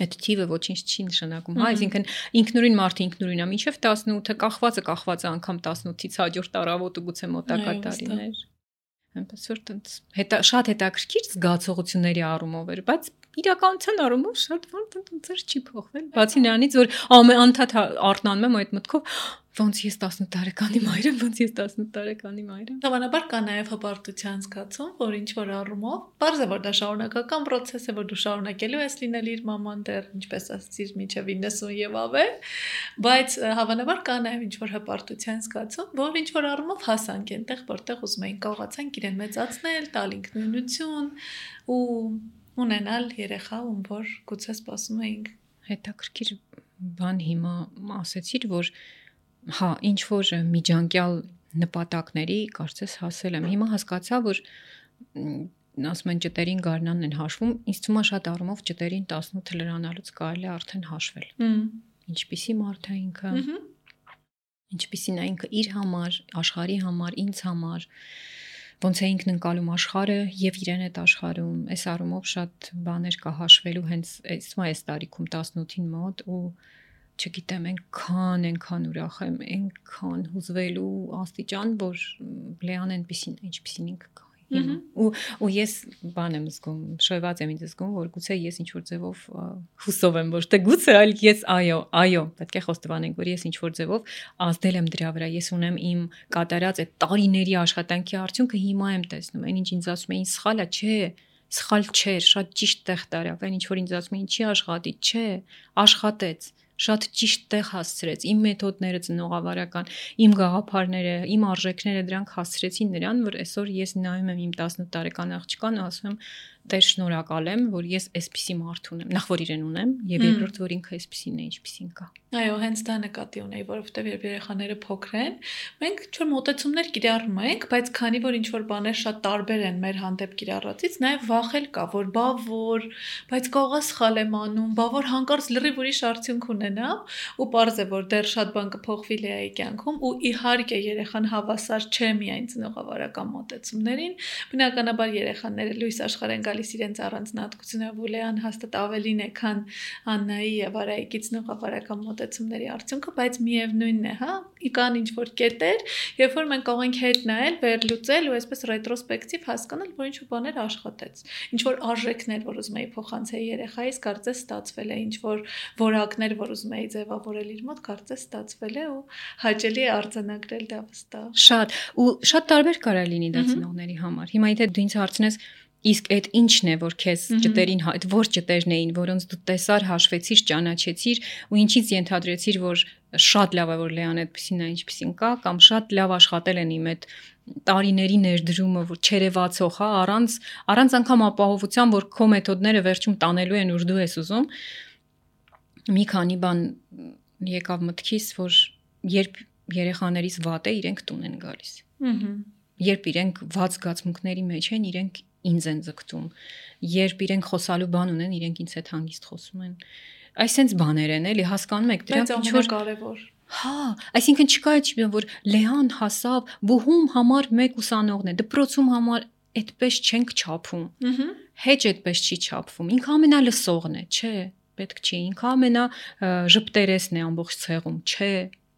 այդ թիվը ոչինչ չի նշանակում, հա, այսինքն ինքնուրույն մարդը ինքնուրույն է, մինչև տասնութը կախվածը կախված է անգամ տասնութից հաջորդ առավոտը գուցե մոտակա տարիներ։ Այնպես որ տենց հետա շատ հետաքրքիր զգացողությունների առումով էր, բայց իրականության առումով շատ բան տենց չի փոխվել։ Բացի նրանից, որ ամեն անդադ արթնանում եմ այդ մտքով, ոնց ես տասնութ տարեկանի մայր եմ, ոնց ես տասնութ տարեկանի մայր եմ։ Հավանաբար կա նաև հպարտության զգացում, որ ինչ որ առումով, պարզ է, որ դա շարունակական process է, որ դու շարունակելու ես լինել իր մաման դեռ, ինչպես ասացիր, մինչև իննսուն եւ ավել, բայց հավանաբար կա նաև ինչ որ հպարտության զգացում, որ ինչ որ առումով հասանք այնտեղ, որտեղ ուզում էին կարողացանք իրեն մեծացնել, տալ ինքնուրույնություն ու ունենալ երեխա, ում որ գուցե սպասում էինք։ Հետաքրքիր բան հիմա ասեցիր, որ հա, ինչ որ միջանկյալ նպատակների կարծես հասել եմ։ Հիմա հասկացա, որ ասում են ճտերին գարնանն են հաշվում, ինձ թվում է շատ առումով ճտերին տասնութ լրանալուց կարելի է արդեն հաշվել։ Ինչպիսի մարդ է ինքը, ինչպիսին է ինքը իր համար, աշխարհի համար, ինձ համար, ոնց է ինքն ընկալում աշխարհը եւ իրեն այդ աշխարհում, այս առումով շատ բաներ կա հաշվելու հենց այս տարիքում տասնութին մոտ ու չգիտեմ, այնքան, այնքան ուրախ եմ, այնքան հուզվելու աստիճան, որ Լեան այնպեսին, ինչպեսին ինքը կա հիմա։ Ու ու ես բան եմ զգում, շոյված եմ ինձ զգում, որ գուցե ես ինչ որ ձևով հուսով եմ, ոչ թե գուցե, այլ ես այո, այո, պետք է խոստովանենք, որ ես ինչ որ ձևով ազդել եմ դրա վրա, ես ունեմ իմ կատարած այդ տարիների աշխատանքի արդյունքը հիմա եմ տեսնում, այն ինչ ինձ ասում էին սխալ է, չէ, սխալ չէր, շատ ճիշտ տեղ տարավ, այն ինչ որ ինձ ասում էին չի աշխատի, չէ, աշխատեց, շատ ճիշտ տեղ հասցրեց, իմ մեթոդները ծնողավարական, իմ գաղափարները, իմ արժեքները դրանք հասցրեցին նրան, որ այսօր ես նայում եմ իմ տասնութ տարեկան աղջկան ու ասում եմ Տեր շնորհակալ եմ, որ ես այսպիսի մարդ ունեմ, նախ որ իրեն ունեմ, եւ երկրորդ որ ինքը այսպիսին է, ինչպիսին կա։ Այո, հենց դա նկատի ունեի, որովհետեւ երբ երեխաները փոքր են, մենք ինչ-որ մոտեցումներ կիրառում ենք, բայց քանի որ ինչ-որ բաներ շատ տարբեր են մեր հանդեպ կիրառածից, նաեւ վախել կա, որ բա որ, բայց կողա սխալ եմ անում, բա որ հանկարծ լրիվ ուրիշ արդյունք ունենա, ու պարզ է, որ դեռ շատ բան կփոխվի Լեայի կյանքում, ու իհարկե երեխան հավասար չէ միայն ծնողավարական մոտեցումներին, բնականաբար երեխաները լույս աշխարհ են գալիս իրենց առանձնահատկությունը, Լեան հաստատ ավելին է, քան Աննայի եւ Արայիկի ծնողավարական մոտեցումների արդյունքը, բայց միևնույնն է, հա, կան ինչ-որ կետեր, երբ որ մենք կարող ենք հետ նայել, վերլուծել ու այսպես ռետրոսպեկտիվ հասկանալ, որ ինչ-որ բաներ աշխատեց, ինչ-որ արժեքներ, որ ուզում էի փոխանցել երեխայիս, կարծես ստացվել է, ինչ-որ որակներ, որ ուզում էի ձևավորել իր մոտ, կարծես ստացվել է ու հաճելի է արձանագրել դա վստահ։ Շատ ու շատ տարբեր կարա լինի դա ծնողների համար։ Հիմա եթե դու ինձ հարցնես Իսկ այդ ինչն է, որ քեզ ճտերին, այդ որ ճտերն էին, որոնց դու տեսար, հաշվեցիր, ճանաչեցիր ու ինչից ենթադրեցիր, որ շատ լավ է, որ Լեան այդպեսին է, ինչպեսին կա, կամ շատ լավ աշխատել են իմ այդ տարիների ներդրումը, որ չերևացող, հա, առանց առանց անգամ ապահովության, որ քո մեթոդները վերջում տանելու են, որ դու ես ուզում։ Մի քանի բան եկավ մտքիս, որ երբ երեխաներից վատ է, իրենք տուն են գալիս։ Ահա։ Երբ իրենք ված զգացմունքների մեջ են, իրենք ինձ են ձգտում, երբ իրենք խոսալու բան ունեն, իրենք ինձ հետ հանգիստ խոսում են։ Այսինքն բաներ են, էլի, հասկանում եք, դրանք ինչ որ կարևոր։ Հա, այսինքն չկա այդպես, որ Լեան հասավ, բուհում համար մեկ ուսանողն է, դպրոցում համար այդպես չենք չափում։ Ահա։ Հեչ այդպես չի չափվում։ Ինքը ամենալսողն է, չէ, պետք չի։ Ինքը ամենա ժպտերեսն է ամբողջ ցեղում, չէ,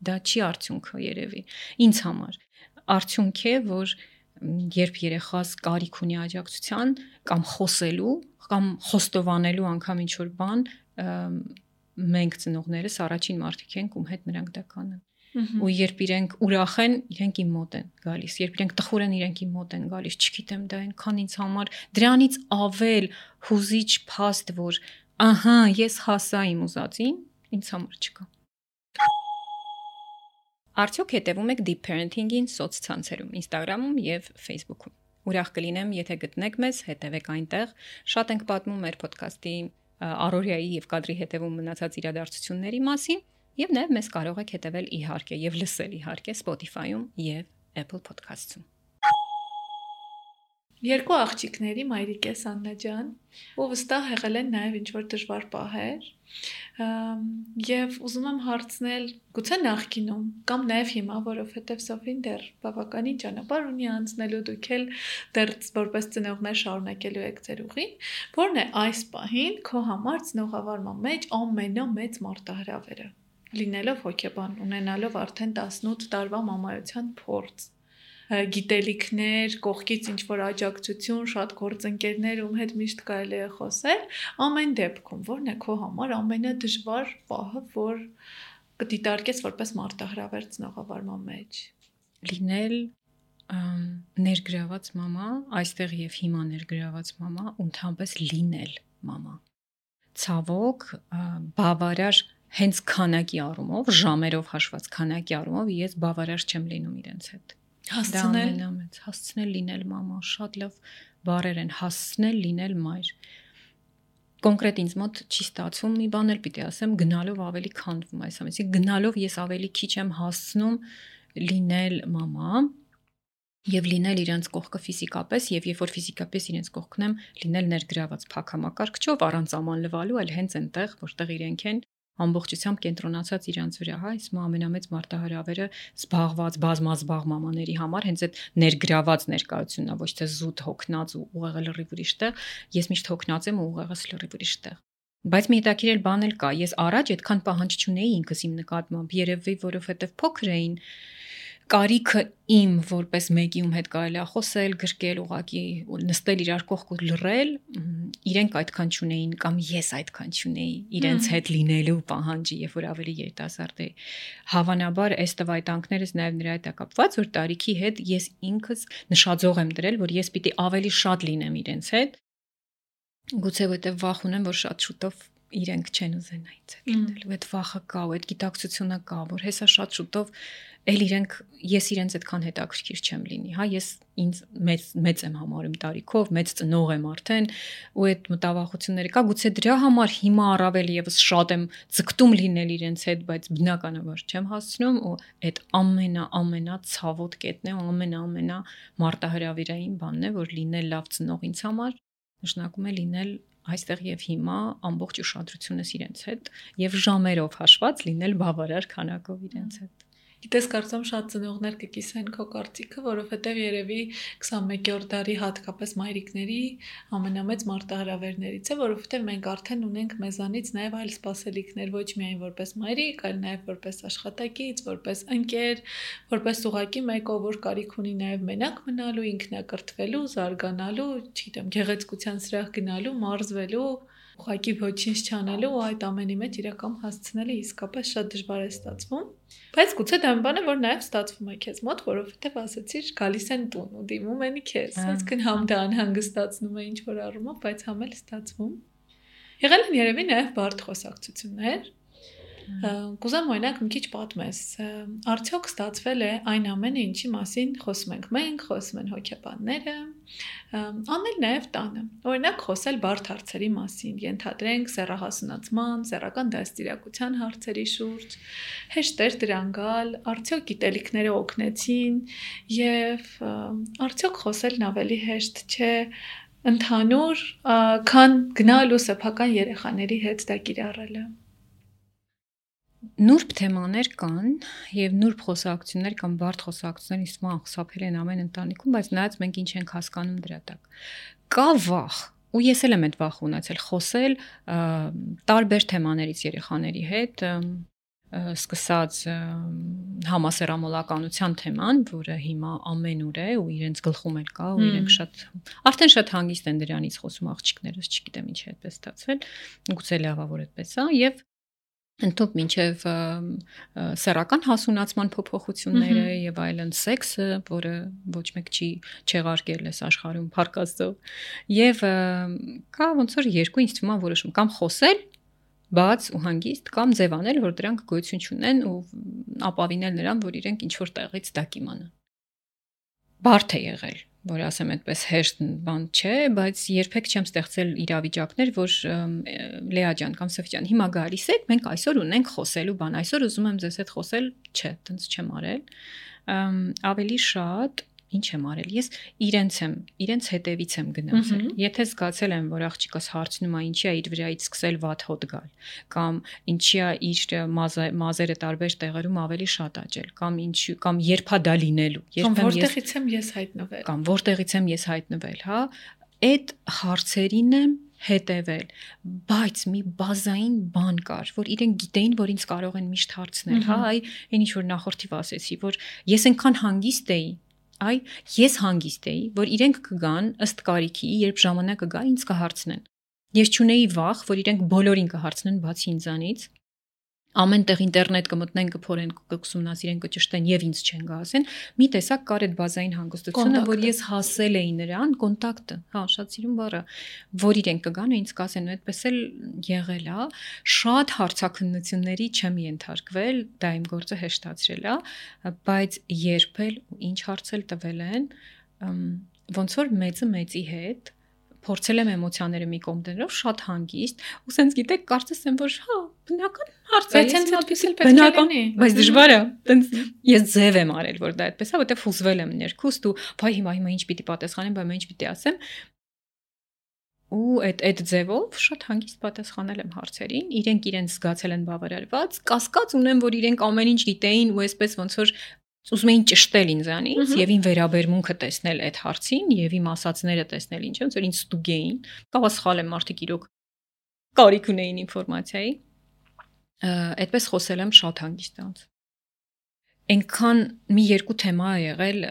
դա չի արդյունքը երևի։ Ինձ համար արդյունք է, որ երբ երեխաս կարիք ունի աջակցության կամ խոսելու կամ խոստովանելու անգամ ինչ-որ բան, մենք ծնողներս առաջին մարդիկ ենք, ում հետ նրանք դա կանեն։ Ու երբ իրենք ուրախ են, իրենք իմ մոտ են գալիս, երբ իրենք տխուր են, իրենք իմ մոտ են գալիս, չգիտեմ, դա այնքան ինձ համար դրանից ավել հուզիչ փաստ, որ ահա, ես հասա իմ ուզածին, ինձ համար չկա։ Արդյոք հետևում եք Deep Parenting-ին սոցցանցերում, Instagram-ում եւ Facebook-ում։ Ուրախ կլինեմ, եթե գտնեք մեզ, հետևեք այնտեղ։ Շատ ենք պատմում մեր podcast-ի առօրյայի եւ կադրի հետևում մնացած իրադարձությունների մասին, եւ նաեւ մեզ կարող եք հետևել իհարկե եւ լսել իհարկե Spotify-ում եւ Apple Podcast-ում։ Երկու աղջիկների մայրիկես Աննա ջան, ու վստահ եղել են նաև ինչ-որ դժվար պահեր, եւ ուզում եմ հարցնել, գուցե նախկինում կամ նաև հիմա, որովհետև Սոֆին դեռ բավականին ճանապարհ ունի անցնելու, դուք էլ դեռ որպես ծնողներ շարունակելու եք ձեր ուղին, որն է այս պահին քո համար ծնողավարման մեջ ամենամեծ մարտահրավերը, լինելով հոգեբան, ունենալով արդեն տասնութ տարվա մամայության փորձ, գիտելիքներ, կողքից ինչ-որ աջակցություն, շատ գործընկերներ, ում հետ միշտ կարելի է խոսել, ամեն դեպքում, որն է քո համար ամենադժվար պահը, որ կդիտարկես որպես մարտահրավեր ծնողավարման մեջ։ Լինել ներգրաված մամա, այստեղ եւ հիմա ներգրաված մամա, ու ընդհանրապես լինել մամա։ Ցավոք, բավարար հենց քանակի առումով, ժամերով հաշված քանակի առումով ես բավարար չեմ լինում իրենց հետ։ Հասցնել, ամենամեծ, հասցնել լինել մամա, շատ լավ բառեր են, հասցնել լինել մայր։ Կոնկրետ ինձ մոտ չի ստացվում, մի բան էլ պիտի ասեմ, գնալով ավելի քանդվում այս ամենից, գնալով ես ավելի քիչ եմ հասցնում լինել մամա եւ լինել իրենց կողքը ֆիզիկապես եւ երբ որ ֆիզիկապես իրենց կողքն եմ, լինել ներգրաված փակամակարգչով առանց աման լվալու, այլ հենց այնտեղ, որտեղ իրենք են ամբողջությամբ կենտրոնացած իրանց վրա, հա, այս ամենամեծ մարտահրավերը զբաղված բազմազբաղ մամաների համար հենց այդ ներգրաված ներկայությունն է, ոչ թե զուտ հոգնած ու ուղեղը լրիվ ուրիշ տեղ, ես միշտ հոգնած եմ ու ուղեղս լրիվ ուրիշ տեղ։ Բայց մի հետաքրքիր բան էլ կա, ես առաջ այդքան պահանջ չունեի ինքս իմ նկատմամբ, երևի որովհետև փոքր էին, կարիքը իմ որպես մեկի ում հետ կարելի է խոսել, գրկել, ուղակի նստել իրար կողք ու լռել, իրենք այդքան չունեին կամ ես այդքան չունեի իրենց հետ լինելու պահանջի, երբ որ ավելի երիտասարդ էի։ Հավանաբար այս տվայտանքներս նաև նրա հետ է կապված, որ տարիքի հետ ես ինքս նշաձող եմ դրել, որ ես պիտի ավելի շատ լինեմ իրենց հետ։ Գուցե որտեղ վախ ունեմ, որ շատ շուտով իրենք չեն ուզենա ինձ հետ լինել, ու այդ վախը կա, ու այդ գիտակցությունը կա, որ հեսա շատ շուտով էլ իրենք ես իրենց այդքան հետաքրքիր չեմ լինի, հա, ես ինձ մեծ մեծ եմ համարում տարիքով, մեծ ծնող եմ արդեն, ու այդ մտավախությունները կա, գուցե դրա համար հիմա առավել եւս շատ եմ ձգտում լինել իրենց հետ, բայց բնականաբար չեմ հասցնում, ու այդ ամենա ամենա ցավոտ կետն է, ամենա ամենա մարտահրավերային բանն է, որ լինել լավ ծնող ինձ համար նշանակում է լինել այստեղ եւ հիմա ամբողջ ուշադրությունս իրենց հետ եւ ժամերով հաշված լինել բավարար քանակով իրենց հետ։ Գիտես, կարծում շատ ծնողներ կկիսեն քո կարծիքը, որովհետև երևի քսանմեկերորդ դարի հատկապես մայրիկների ամենամեծ մարտահրավերներից է, որովհետև մենք արդեն ունենք մեզանից նաև այլ սպասելիքներ, ոչ միայն որպես մայրիկ, այլ նաև որպես աշխատակից, որպես ընկեր, որպես ուղակի մեկը, որ կարիք ունի նաև մենակ մնալու, ինքնակրթվելու, զարգանալու, չգիտեմ, գեղեցկության սրահ գնալու, մարզվելու, ուղղակի ոչինչ չանելու ու այդ ամենի մեջ իրական հասցնելը իսկապես շատ դժվար է ստացվում, բայց գուցե դա մի բան է, որ նաև ստացվում է քեզ մոտ, որովհետև ասացիր գալիս են տուն ու դիմում են քեզ, այսինքն համ դա անհանգստացնում է ինչ որ առումով, բայց համ էլ ստացվում։ Եղել են երևի նաև բարդ խոսակցություններ։ Կուզեմ օրինակ մի քիչ պատմես, արդյոք ստացվել է այն ամենը, ինչի մասին խոսում ենք մենք, խոսում են հոգեբանները, անել նաև տանը, օրինակ խոսել բարդ հարցերի մասին, ենթադրենք սեռահասունացման, սեռական դաստիարակության հարցերի շուրջ, հեշտեր դրան գալ, արդյոք գիտելիքները օգնեցին եւ արդյոք խոսելն ավելի հեշտ չէ ընդհանուր, քան գնալ ու սեփական երեխաների հետ դա կիրառելը։ Նուրբ թեմաներ կան եւ նուրբ խոսակցություններ կամ բարդ խոսակցություններ ինձ մոտ խուսափել են ամեն ընտանիքում, բայց նայած մենք ինչ ենք հասկանում դրա տակ։ Կա վախ, ու ես էլ եմ այդ վախը ունեցել խոսել տարբեր թեմաներից երեխաների հետ, սկսած համասեռամոլականության թեման, որը հիմա ամենուր է ու իրենց գլխում էլ կա ու իրենք շատ արդեն շատ հանգիստ են դրանից խոսում աղջիկներս, չգիտեմ ինչ է այդպես ստացվել, գուցե լավա որ այդպես է եւ ընդཐུպ մինչև սեռական հասունացման փոփոխությունները եւ այլն սեքսը, որը ոչ մեկ չի չեղարկել այս աշխարհում փառքաստով եւ կա ոնց որ երկու ինձ թվում է որոշում կամ խոսել բաց ու հանգիստ կամ ձևանել, որ դրանք գոյություն չունեն ու ապավինել նրան, որ իրենք ինչ որ տեղից դա կիմանան։ Բարդ է եղել, որ ասեմ այդպես հեշտ բան չէ, բայց երբեք չեմ ստեղծել իրավիճակներ, որ Լեա ջան կամ Սոֆի ջան, հիմա գալիս եք, մենք այսօր ունենք խոսելու բան, այսօր ուզում եմ ձեզ հետ խոսել, չէ, տենց չեմ արել։ Ավելի շատ ինչ եմ արել, ես իրենց եմ, իրենց հետևից եմ գնացել։ Եթե զգացել եմ, որ աղջիկս հարցնում է, ինչի է իր վրայից սկսել վատ հոտ գալ, կամ ինչի է իր մազերը տարբեր տեղերում ավելի շատ աճել, կամ ինչ կամ երբ է դա լինելու, երբ եմ որտեղից եմ ես հայտնվել, կամ որտեղից եմ ես հայտնվել, հա, այդ հարցերին եմ հետևել, բայց մի բազային բան կար, որ իրենք գիտեին, որ ինձ կարող են միշտ հարցնել, հա, այ այն ինչ որ նախորդիվ ասեցի, որ ես այնքան հանգիստ էի, այ ես հանգիստ էի, որ իրենք կգան ըստ կարիքի, երբ ժամանակը գա, ինձ կհարցնեն։ Ես չունեի վախ, որ իրենք բոլորին կհարցնեն բացի ինձանից։ Ամեն տեղ ինտերնետ կմտնեն, կփորեն, կուսումնասիրեն, կճշտեն եւ ինձ չեն գասեն։ Մի տեսակ կար այդ բազային հանգստությունը, որ ես հասել էի նրան, կոնտակտը, հա, շատ սիրուն բառը, որ իրենք կգան ու ինձ կասեն, ու այդպես էլ եղել է։ Շատ հարցաքննությունների չեմ ենթարկվել, դա իմ գործը հեշտացրել է, բայց երբ էլ ու ինչ հարցել տվել են, ոնց որ մեծը մեծի հետ փորձել եմ էմոցիաները մի կողմ դնելով շատ հանգիստ, ու sense գիտեք, կարծես եմ, որ հա, բնական հարց է, բայց այդպես էլ պետք է լինի, բայց դժվար է, տենց ես ձև եմ արել, որ դա այդպես է, որտեղ հուզվել եմ ներքուստ ու բայ հիմա հիմա ինչ պիտի պատասխանեմ, բայ ինչ պիտի ասեմ։ Ու այդ այդ ձևով շատ հանգիստ պատասխանել եմ հարցերին, իրենք իրենց զգացել են բավարարված, կասկած ունեմ, որ իրենք ամեն ինչ գիտեին ու այսպես ոնց որ ուզում էին ճշտել ինձանից եւ ին վերաբերմունքը տեսնել այդ հարցին եւ իմ ասածները տեսնել ինչ ոնց որ ինձ ստուգեին, կարող է սխալ եմ, մարդիկ իրոք կարիք ունեին ինֆորմացիայի։ Այդպես խոսել եմ շատ հանգիստ անց։ Այնքան մի երկու թեմա ա եղել,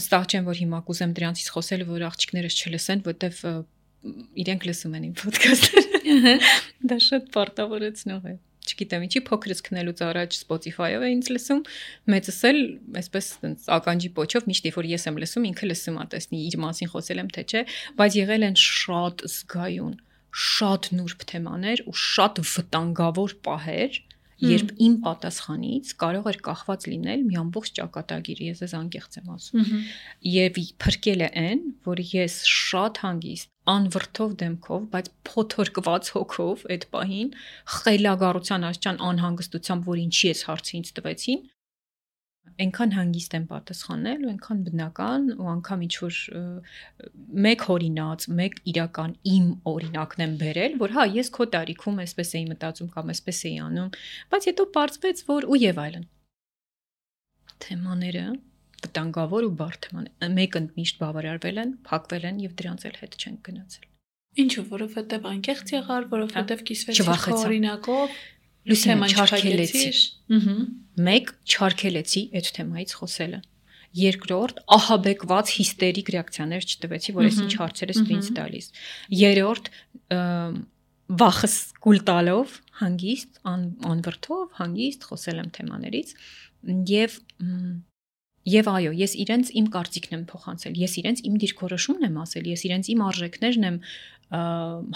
վստահ չեմ, որ հիմա կուզեմ դրանցից խոսել, որ աղջիկներս չլսեն, որտեվ իրենք լսում են իմ ոդքասթը։ Դա շատ պարտավորեցնող է։ Չգիտեմ, ինչի փոքրից քնելուց առաջ Spotify-ով է ինձ լսում, մեծս էլ այսպես ականջի պոչով միշտ որ ես եմ լսում, ինքը լսում է, տեսնի իր մասին խոսել եմ թե չէ, բայց եղել են շատ զգայուն, շատ նուրբ թեմաներ ու շատ վտանգավոր պահեր, երբ իմ պատասխանից կարող էր կախված լինել մի ամբողջ ճակատագիր, ես ես անկեղծ եմ ասում։ Եվ փրկել է այն, որ ես շատ հանգիստ, անվրդով դեմքով, բայց փոթորկված հոգով այդ պահին խելագարության աստիճան անհանգստությամբ, որ ինչի էս հարցը ինձ տվեցին, այնքան հանգիստ եմ պատասխանել ու այնքան բնական ու անգամ ինչ որ մեկ օրինաց, մեկ իրական իմ օրինակն եմ բերել, որ հա ես քո տարիքում էսպես էի մտածում կամ էսպես էի անում, բայց հետո պարզվեց, որ ու եւ այլն։ Թեմաները վտանգավոր ու բարդ թեմաներ, մեկը միշտ բավարարվել են, փակվել են եւ դրանց էլ հետ չեն գնացել։ Ինչու, որովհետեւ անկեղծ եղար, որովհետեւ կիսվեցի քո օրինակով, լուսինը չարքելեցի։ Ահա մեկ չարքելեցի այդ թեմայից խոսելը։ Երկրորդ ահաբեկված հիստերիկ ռեակցիաներ չտվեցի, որ ես ինչ հարցեր ես ինձ տալիս։ Երրորդ վախս կուլ տալով հանգիստ անվրդով հանգիստ խոսել եմ թեմաներից եւ եւ այո, ես իրենց իմ կարծիքն եմ փոխանցել, ես իրենց իմ դիրքորոշումն եմ ասել, ես իրենց իմ արժեքներն եմ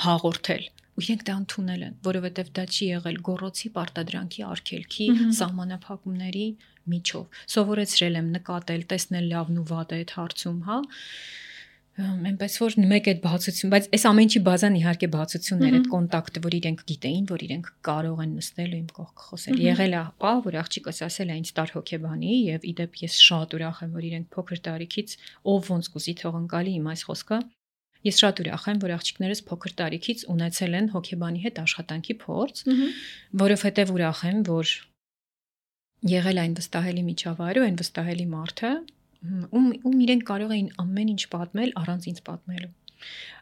հաղորդել։ Ու իրենք դա ընդունել են, որովհետև դա չի եղել գոռոցի պարտադրանքի արգելքի սահմանափակումների միջով։ Սովորեցրել եմ նկատել, տեսնել լավն ու վատը այդ հարցում, հա։ Այնպես որ մեկ այդ բացություն, բայց այս ամեն ինչի բազան իհարկե բացություններ, այդ կոնտակտը, որ իրենք գիտեին, որ իրենք կարող են նստել ու իմ կողք խոսել։ Եղել է, պա, որ աղջիկս ասել է ինձ տար հոգեբանի եւ իդեպ ես շատ ուրախ եմ, որ իրենք փոքր տարիքից ով ոնց կուզի թողնկալի իմ այս խոսքը։ Ես շատ ուրախ եմ, որ աղջիկներս փոքր տարիքից ունեցել են հոգեբանի հետ աշխատանքի փորձ, որովհետև ուրախ եմ, որ եղել այն վստահելի միջավայրը, այն վստահելի մարդը, ում ում իրենք կարող էին ամեն ինչ պատմել առանց ինձ պատմելու։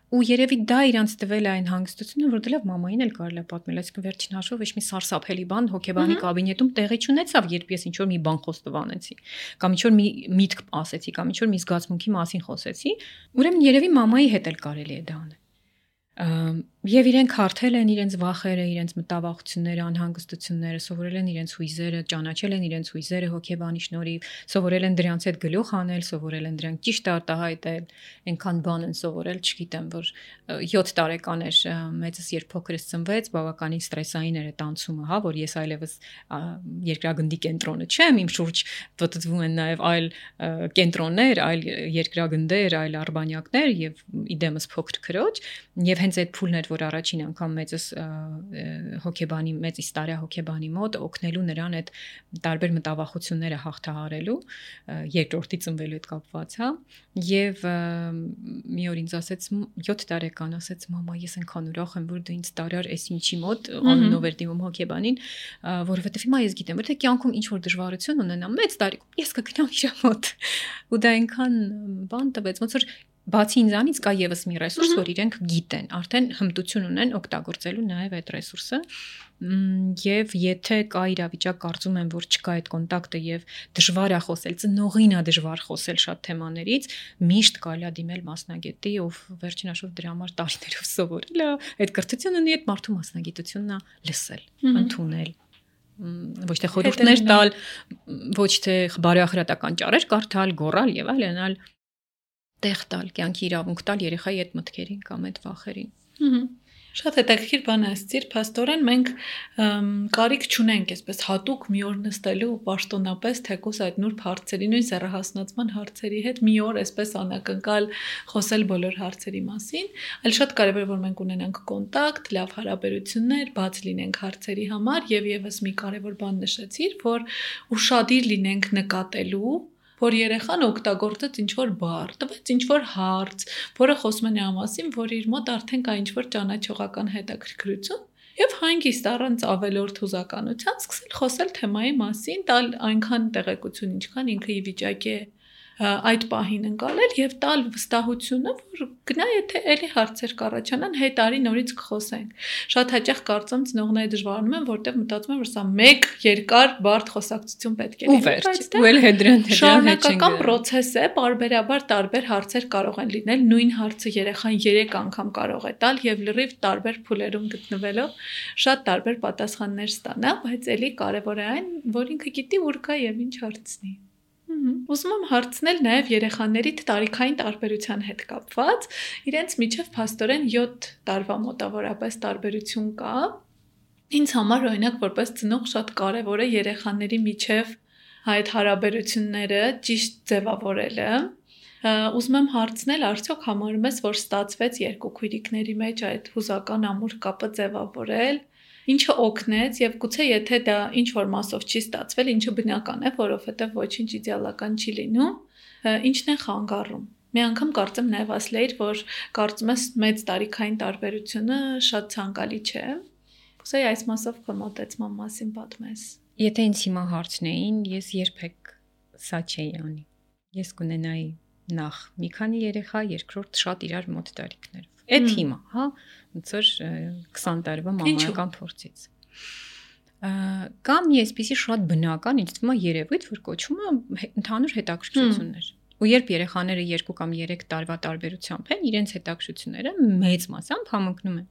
Ու երևի դա իրանց տվել այն հանգստությունը, որ դեռ մամային էլ կարելի է պատմել, այսինքն վերջին հաշվով ոչ մի սարսափելի բան հոգեբանի կաբինետում տեղի չունեցավ, երբ ես ինչ որ մի բան խոստովանեցի, կամ ինչ որ մի միտք ասեցի, կամ ինչ որ մի զգացմունքի մասին խոսեցի, ուրեմն երևի մամայի հետ էլ կարելի է դա անել։ Եվ իրենք հարթել են իրենց վախերը, իրենց մտավախությունները, անհանգստությունները, սովորել են իրենց հույզերը, ճանաչել են իրենց հույզերը հոգեբանի շնորհիվ, սովորել են դրանց հետ գլուխ անել, սովորել են դրանք ճիշտ արտահայտել, այնքան բան են սովորել, չգիտեմ, որ յոթ տարեկան էր մեծս երբ փոքրս ծնվեց, բավականին ստրեսային էր այդ անցումը, հա, որ ես այլևս երկրագնդի կենտրոնը չեմ, իմ շուրջ պատտվում են նաև այլ կենտրոններ, այլ երկրագնդեր, այլ արբանյակներ եւ իդեմս փոքր քրոջ, եւ հենց այդ փուլն էր, որ առաջին անգամ մեծս հոգեբանի մեծ իստարիա հոգեբանի մոտ օգնելու նրան այդ տարբեր մտավախությունները հաղթահարելու երկրորդի ծնվելու հետ կապված, հա, եւ մի օր ինձ ասեց յոթ տարեկան ասեց մամա ես այնքան ուրախ եմ որ դու ինձ տարար էս ինչի մոտ անունով էր դիմում հոգեբանին, որովհետեւ հիմա ես գիտեմ որ թե կյանքում ինչ որ դժվարություն ունենամ մեծ տարիքում ես կգնամ իր մոտ ու դա այնքան բան տվեց ոնց որ բացի ինձանից կա եւս մի ռեսուրս, որ իրենք գիտեն, արդեն հմտություն ունեն օգտագործելու նաեւ այդ ռեսուրսը, եւ եթե կա իրավիճակ կարծում եմ, որ չկա այդ կոնտակտը եւ դժվար է խոսել, ծնողին է դժվար խոսել շատ թեմաներից, միշտ կարելի է դիմել մասնագետի, ով վերջին հաշվով դրա համար տարիներով սովորել է, այդ կրթությունն ունի, այդ մարդու մասնագիտությունն է լսել, ընդունել ոչ թե խորհուրդներ տալ, ոչ թե բարոյախրատական ճառեր կարդալ, գոռալ եւ այլն, տեղ տալ, կյանքի իրավունք տալ երեխայի այդ մտքերին կամ այդ վախերին։ Շատ հետաքրքիր բան ասցիր, փաստորեն մենք կարիք չունենք այսպես հատուկ մի օր նստելու պաշտոնապես թեկուզ այդ նուրբ հարցերի, նույն սեռահասնացման հարցերի հետ մի օր այսպես անակնկալ խոսել բոլոր հարցերի մասին, այլ շատ կարևոր է որ մենք ունենանք կոնտակտ, լավ հարաբերություններ, բաց լինենք հարցերի համար եւ եւս մի կարևոր բան նշեցիր, որ ուշադիր լինենք նկատելու որ երեխան օգտագործեց ինչ-որ բառ, տվեց ինչ-որ հարց, որը խոսում է նրա մասին, որ իր մոտ արդեն կա ինչ-որ ճանաչողական հետաքրքրություն, եւ հանգիստ առանց ավելորդ հուզականության սկսել խոսել թեմայի մասին, տալ այնքան տեղեկություն, ինչքան ինքը ի վիճակի է այդ պահին ընկալել եւ տալ վստահությունը, որ գնա եթե էլի հարցեր կառաջանան, հետ արի նորից կխոսենք։ Շատ հաճախ կարծում ծնողները դժվարանում են, որտեղ մտածում են, որ սա մեկ երկար բարդ խոսակցություն պետք է լինի, բայց ու էլ հետրան հետրան շարունակական process է, բարբերաբար տարբեր հարցեր կարող են լինել, նույն հարցը երեխան երեք անգամ կարող է տալ եւ լրիվ տարբեր փուլերում գտնվելով շատ տարբեր պատասխաններ ստանա, բայց էլի կարեւոր է այն, որ ինքը գիտի ուր կա եւ ինչ հարցնի։ Ուզում եմ հարցնել նաև երեխաների տարիքային տարբերության հետ կապված, իրենց միջև փաստորեն յոթ տարվա մոտավորապես տարբերություն կա։ Ինձ համար օրինակ որպես ծնող շատ կարևոր է երեխաների միջև այդ հարաբերությունները ճիշտ ձևավորելը։ Ուզում եմ հարցնել, արդյոք համարում ես, որ ստացվեց երկու քույրիկների մեջ այդ հուզական ամուր կապը ձևավորել, ինչը օգնեց եւ գուցե եթե դա ինչ որ մասով չի ստացվել, ինչը բնական է, որովհետեւ ոչինչ իդեալական չի լինում, ինչն է խանգարում։ Մի անգամ կարծեմ նաև ասլեիր, որ կարծում ես մեծ տարիքային տարբերությունը շատ ցանկալի չէ։ Կուզեի այս մասով քո մոտեցման մասին պատմես։ Եթե ինձ հիմա հարցնեին, ես երբեք սա չէի անի։ Ես կունենայի նախ մի քանի երեխա, երկրորդ շատ իրար մոտ տարիքներով։ Այդ հիմա, հա, ոնց որ քսան տարվա մամայական փորձից։ Կամ մի այսպիսի շատ բնական, ինձ թվում է երևույթ, որ կոչվում է ընդհանուր հետաքրքրություններ։ Ու երբ երեխաները երկու կամ երեք տարվա տարբերությամբ են, իրենց հետաքրքրությունները մեծ մասամբ համընկնում են։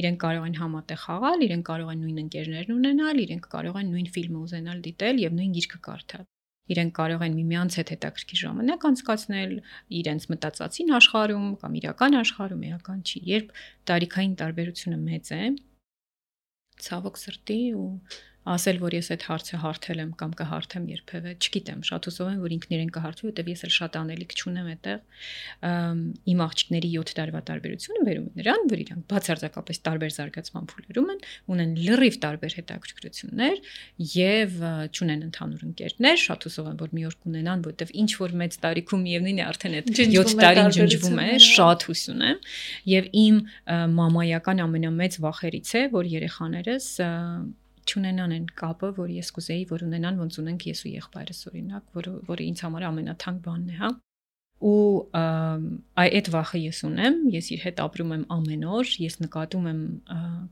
Իրենք կարող են համատեղ խաղալ, իրենք կարող են նույն ընկերներն ունենալ, իրենք կարող են նույն ֆիլմը ուզենալ դիտել եւ նույն գիրքը կարդալ։ Իրենք կարող են միմյանց հետ հետաքրքիր ժամանակ անցկացնել իրենց մտածածին աշխարհում կամ իրական աշխարհում, էական չի։ Երբ տարիքային տարբերությունը մեծ է, ցավոք սրտի ու ասել, որ ես այդ հարցը հարթել եմ կամ կհարթեմ երբևէ, չգիտեմ, շատ հուսով եմ, որ ինքն իրեն կհարթի, որտեվ ես էլ շատ անելիք չունեմ այդտեղ։ Իմ աղջիկների յոթ տարվա տարբերությունը վերում է նրան, որ իրանք բացարձակապես տարբեր զարգացման փուլերում են, ունեն լրիվ տարբեր հետաքրքրություններ եւ չունեն ընդհանուր ընկերներ, շատ հուսով եմ, որ մի օր կունենան, որտեվ ինչ որ մեծ տարիքում միևնույն է արդեն այդ յոթ տարին ջնջվում է, շատ հույս ունեմ, եւ իմ մամայական ամենամեծ վախերից է, որ երեխաներս չունենան այն կապը, որ ես կուզեի, որ ունենան, ոնց ունենք ես ու եղբայրս օրինակ, որը որը ինձ համար ամենաթանկ բանն է, հա։ Ու այդ վախը ես ունեմ, ես իր հետ ապրում եմ ամեն օր, ես նկատում եմ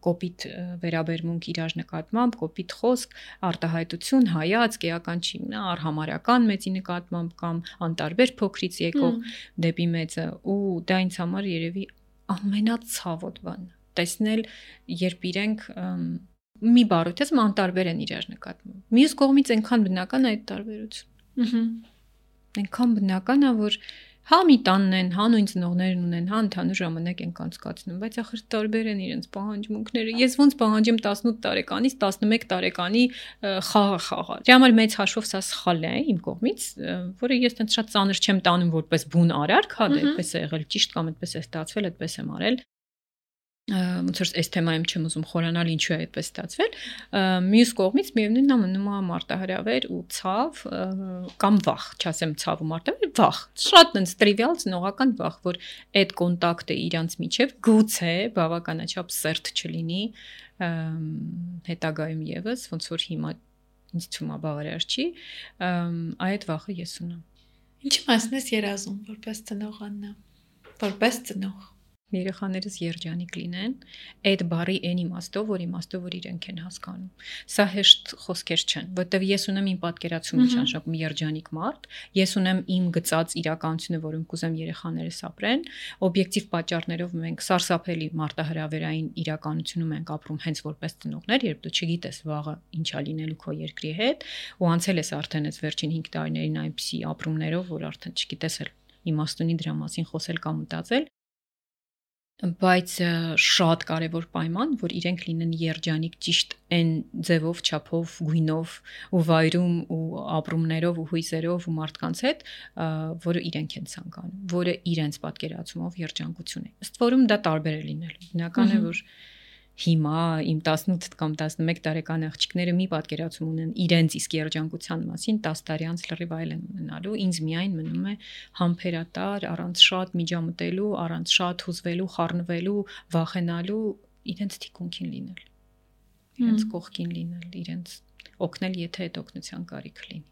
կոպիտ վերաբերմունք իրար նկատմամբ, կոպիտ խոսք, արտահայտություն, հայացք, էական չի, նա արհամարական մեծի նկատմամբ կամ անտարբեր փոքրից եկող դեպի մեծը, ու դա ինձ համար երևի ամենացավոտ բանն է։ Տեսնել, երբ իրենք մի բառոթից անտարբեր են իրար նկատմամբ։ Մյուս կողմից այնքան բնական է այդ տարբերությունը։ Ահա։ Այնքան բնական է, որ հա մի տանն են, հա նույն ծնողներն ունեն, հա ընդհանուր ժամանակ են անցկացնում, բայց ախր տարբեր են իրենց պահանջմունքները։ Ես ոնց պահանջեմ տասնութ տարեկանից տասնմեկ տարեկանի խաղը խաղալ։ Դրա համար մեծ հաշվով սա սխալ է իմ կողմից, որը ես տենց շատ ծանր չեմ տանում որպես բուն արարք, հա դե այդպես է եղել ճիշտ կամ այդպես է ստացվել, այդպես եմ արել։ Ոնց որ այս թեմայում չեմ ուզում խորանալ ինչու է այդպես ստացվել, մյուս կողմից միևնույնն է մնում է մարտահրավեր ու ցավ կամ վախ, չասեմ ցավ ու մարտահրավեր, վախ, շատ այնց տրիվիալ ծնողական վախ, որ այդ կոնտակտը իրանց միջև գուցե բավականաչափ սերտ չլինի հետագայում եւս, ոնց որ հիմա ինձ թվում է բավարար չի, այդ վախը ես ունեմ։ Ինչի մասն ես երազում որպես ծնող Աննա, որպես ծնող երեխաներս երջանիկ լինեն, այդ բարի այն իմաստով, որ իմաստով որ իրենք են հասկանում։ Սա հեշտ խոսքեր չեն, որտեվ ես ունեմ իմ պատկերացումը ճանաչում երջանիկ մարդ, ես ունեմ իմ գծած իրականությունը, որում կուզեմ երեխաներս ապրեն, օբյեկտիվ պատճառներով մենք սարսափելի մարտահրավերային իրականությունում ենք ապրում հենց որպես ծնողներ, երբ դու չգիտես վաղը ինչա լինելու քո երկրի հետ, ու անցել ես արդեն այս վերջին հինգ տարիներին այնպիսի ապրումներով, որ արդեն չգիտես էլ իմաստունի դրա մասին խոսել կամ մտածել։ Բայց շատ կարևոր պայման, որ իրենք լինեն երջանիկ ճիշտ այն ձևով, չափով, գույնով ու վայրում ու ապրումներով ու հույզերով ու մարդկանց հետ, որը իրենք են ցանկանում, որը իրենց պատկերացումով երջանկություն է։ Ըստ որում դա տարբեր է լինելու։ Բնական է, որ հիմա իմ տասնութ կամ տասնմեկ տարեկան աղջիկները մի պատկերացում ունեն իրենց իսկ երջանկության մասին, տասը տարի անց լրիվ այլ են ունենալու, ինձ միայն մնում է համբերատար, առանց շատ միջամտելու, առանց շատ հուզվելու, խառնվելու, վախենալու, իրենց թիկունքին լինել, իրենց կողքին լինել, իրենց օգնել, եթե այդ օգնության կարիք լինի։